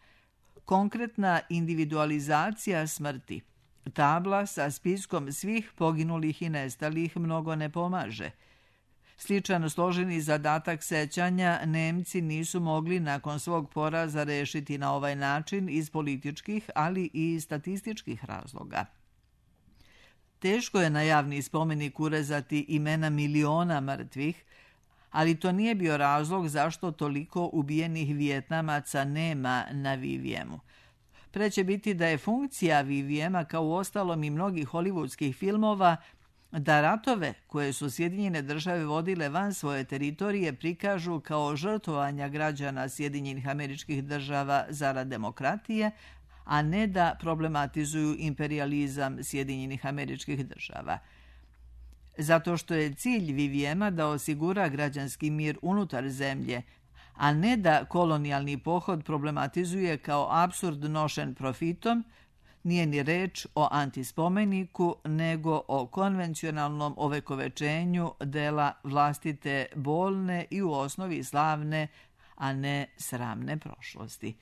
Konkretna individualizacija smrti, tabla sa spiskom svih poginulih i nestalih mnogo ne pomaže. Sličan složeni zadatak sećanja Nemci nisu mogli nakon svog poraza rešiti na ovaj način iz političkih, ali i statističkih razloga. Teško je na javni spomenik urezati imena miliona mrtvih, ali to nije bio razlog zašto toliko ubijenih Vijetnamaca nema na Viviemu. Preće biti da je funkcija Viviema, kao u ostalom i mnogih hollywoodskih filmova, da ratove koje su Sjedinjene države vodile van svoje teritorije prikažu kao žrtvovanja građana Sjedinjenih Američkih Država zarad demokratije, a ne da problematizuju imperijalizam Sjedinjenih Američkih Država. Zato što je cilj Viviema da osigura građanski mir unutar zemlje, a ne da kolonijalni pohod problematizuje kao apsurd nošen profitom, nije ni reč o antispomeniku, nego o konvencionalnom ovekovečenju dela vlastite bolne i u osnovi slavne, a ne sramne prošlosti.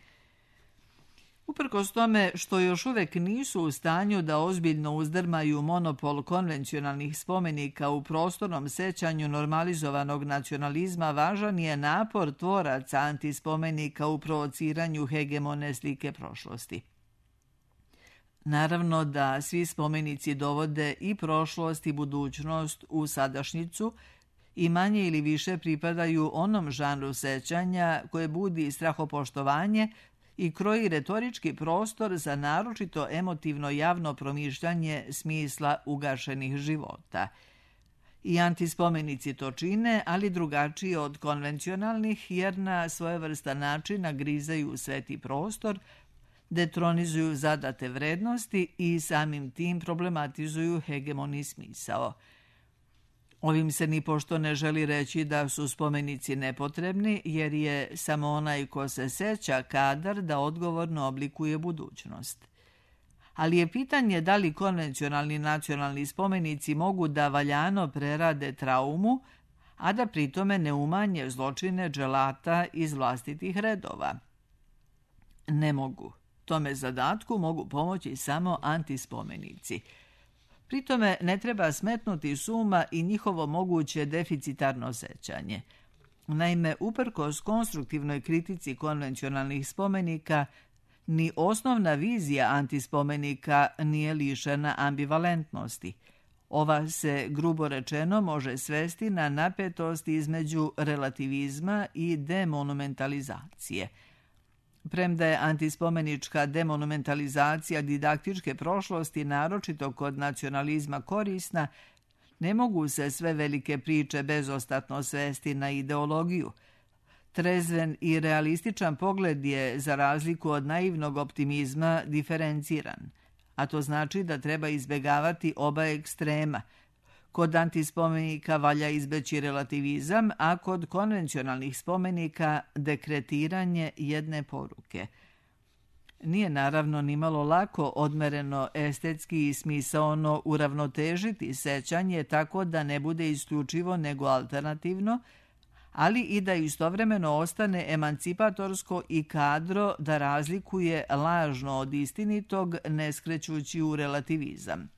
Uprkos tome što još uvek nisu u stanju da ozbiljno uzdrmaju monopol konvencionalnih spomenika u prostornom sećanju normalizovanog nacionalizma, važan je napor tvoraca antispomenika u provociranju hegemone slike prošlosti. Naravno da svi spomenici dovode i prošlost i budućnost u sadašnjicu i manje ili više pripadaju onom žanru sećanja koje budi strahopoštovanje i kroji retorički prostor za naročito emotivno javno promišljanje smisla ugašenih života. I antispomenici to čine, ali drugačije od konvencionalnih, jer na svojevrstan način nagrizaju sveti prostor, detronizuju zadate vrednosti i samim tim problematizuju hegemoni smisao. Ovim se nipošto ne želi reći da su spomenici nepotrebni, jer je samo onaj ko se seća kadar da odgovorno oblikuje budućnost. Ali je pitanje da li konvencionalni nacionalni spomenici mogu da valjano prerade traumu, a da pritome ne umanje zločine dželata iz vlastitih redova. Ne mogu. Tome zadatku mogu pomoći samo antispomenici. Pritome ne treba smetnuti s uma i njihovo moguće deficitarno sećanje. Naime, uprkos konstruktivnoj kritici konvencionalnih spomenika, ni osnovna vizija antispomenika nije lišena ambivalentnosti. Ova se, grubo rečeno, može svesti na napetost između relativizma i demonumentalizacije. Premda je antispomenička demonumentalizacija didaktičke prošlosti naročito kod nacionalizma korisna, ne mogu se sve velike priče bezostatno svesti na ideologiju. Trezven i realističan pogled je, za razliku od naivnog optimizma, diferenciran, a to znači da treba izbegavati oba ekstrema. Kod antispomenika valja izbeći relativizam, a kod konvencionalnih spomenika dekretiranje jedne poruke. Nije naravno nimalo lako odmereno estetski i smisaono uravnotežiti sećanje tako da ne bude isključivo nego alternativno, ali i da istovremeno ostane emancipatorsko i kadro da razlikuje lažno od istinitog, ne skrećući u relativizam.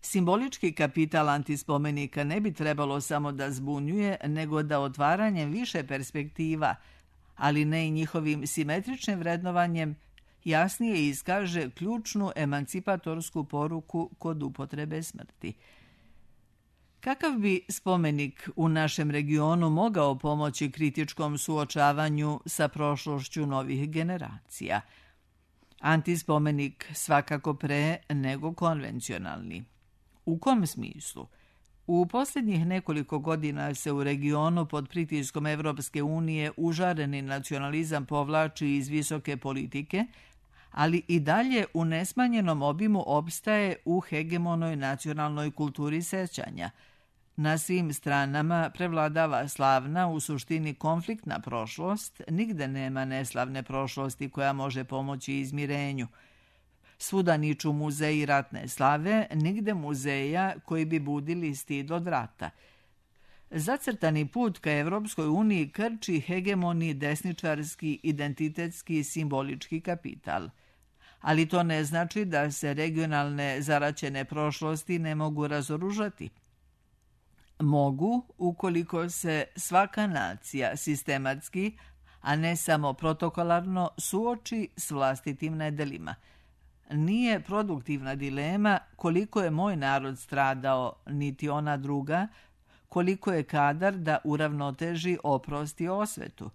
Simbolički kapital antispomenika ne bi trebalo samo da zbunjuje, nego da otvaranjem više perspektiva, ali ne i njihovim simetričnim vrednovanjem, jasnije iskaže ključnu emancipatorsku poruku kod upotrebe smrti. Kakav bi spomenik u našem regionu mogao pomoći kritičkom suočavanju sa prošlošću novih generacija? Antispomenik svakako pre nego konvencionalni. U kom smislu? U posljednjih nekoliko godina se u regionu pod pritiskom Evropske unije užareni nacionalizam povlači iz visoke politike, ali i dalje u nesmanjenom obimu opstaje u hegemonoj nacionalnoj kulturi sećanja. Na svim stranama prevladava slavna, u suštini konfliktna prošlost, nigde nema neslavne prošlosti koja može pomoći izmirenju. Svuda niču muzeji ratne slave, nigde muzeja koji bi budili stid od rata. Zacrtani put ka Evropskoj uniji krči hegemoni desničarski, identitetski, simbolički kapital. Ali to ne znači da se regionalne zaraćene prošlosti ne mogu razoružati. Mogu, ukoliko se svaka nacija sistematski, a ne samo protokolarno, suoči s vlastitim nedelima. Nije produktivna dilema koliko je moj narod stradao, niti ona druga, koliko je kadar da uravnoteži oprost i osvetu.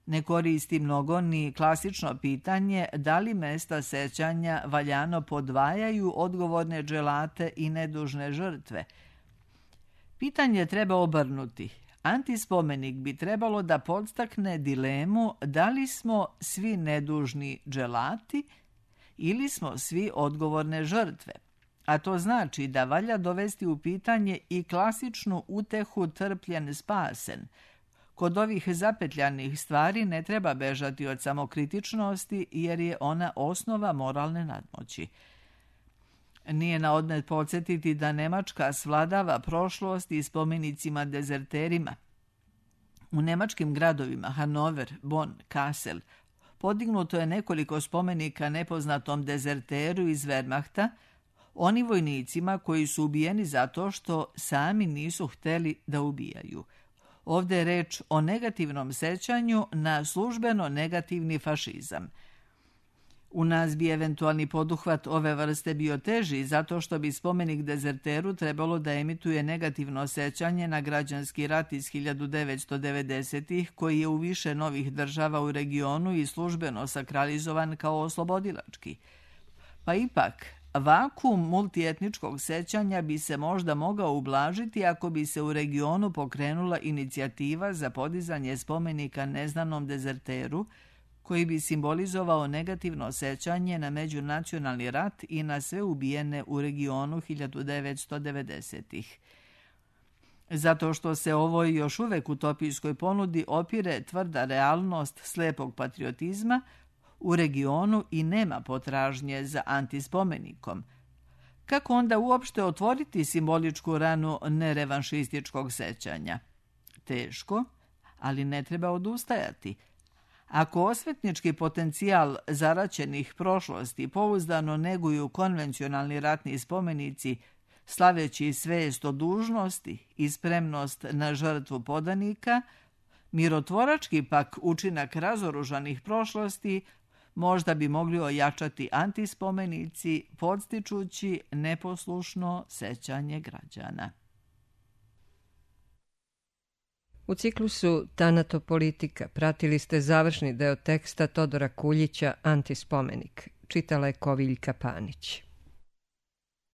Ne koristi mnogo ni klasično pitanje da li mesta sećanja valjano podvajaju odgovorne dželate i nedužne žrtve. Pitanje treba obrnuti. Antispomenik bi trebalo da podstakne dilemu da li smo svi nedužni dželati ili smo svi odgovorne žrtve. A to znači da valja dovesti u pitanje i klasičnu utehu trpljen spasen. Kod ovih zapetljanih stvari ne treba bežati od samokritičnosti jer je ona osnova moralne nadmoći. Nije na odmet podsjetiti da Nemačka svladava prošlost i spomenicima dezerterima. U nemačkim gradovima Hanover, Bonn, Kassel podignuto je nekoliko spomenika nepoznatom dezerteru iz Wehrmachta, oni vojnicima koji su ubijeni zato što sami nisu hteli da ubijaju. Ovdje je reč o negativnom sećanju na službeno negativni fašizam. U nas bi eventualni poduhvat ove vrste bio teži zato što bi spomenik dezerteru trebalo da emituje negativno sećanje na građanski rat iz 1990-ih koji je u više novih država u regionu i službeno sakralizovan kao oslobodilački. Pa ipak, vakuum multietničkog sećanja bi se možda mogao ublažiti ako bi se u regionu pokrenula inicijativa za podizanje spomenika neznanom dezerteru, koji bi simbolizovao negativno sećanje na međunacionalni rat i na sve ubijene u regionu 1990-ih. Zato što se ovoj još uvek utopijskoj ponudi opire tvrda realnost slepog patriotizma, u regionu i nema potražnje za antispomenikom. Kako onda uopšte otvoriti simboličku ranu nerevanšističkog sećanja? Teško, ali ne treba odustajati. Ako osvetnički potencijal zaraćenih prošlosti pouzdano neguju konvencionalni ratni spomenici, slaveći svest o dužnosti i spremnost na žrtvu podanika, mirotvorački pak učinak razoružanih prošlosti možda bi mogli ojačati antispomenici, podstičući neposlušno sećanje građana. U ciklusu Tanatopolitika pratili ste završni deo teksta Todora Kuljića Antispomenik. Čitala je Koviljka Panić.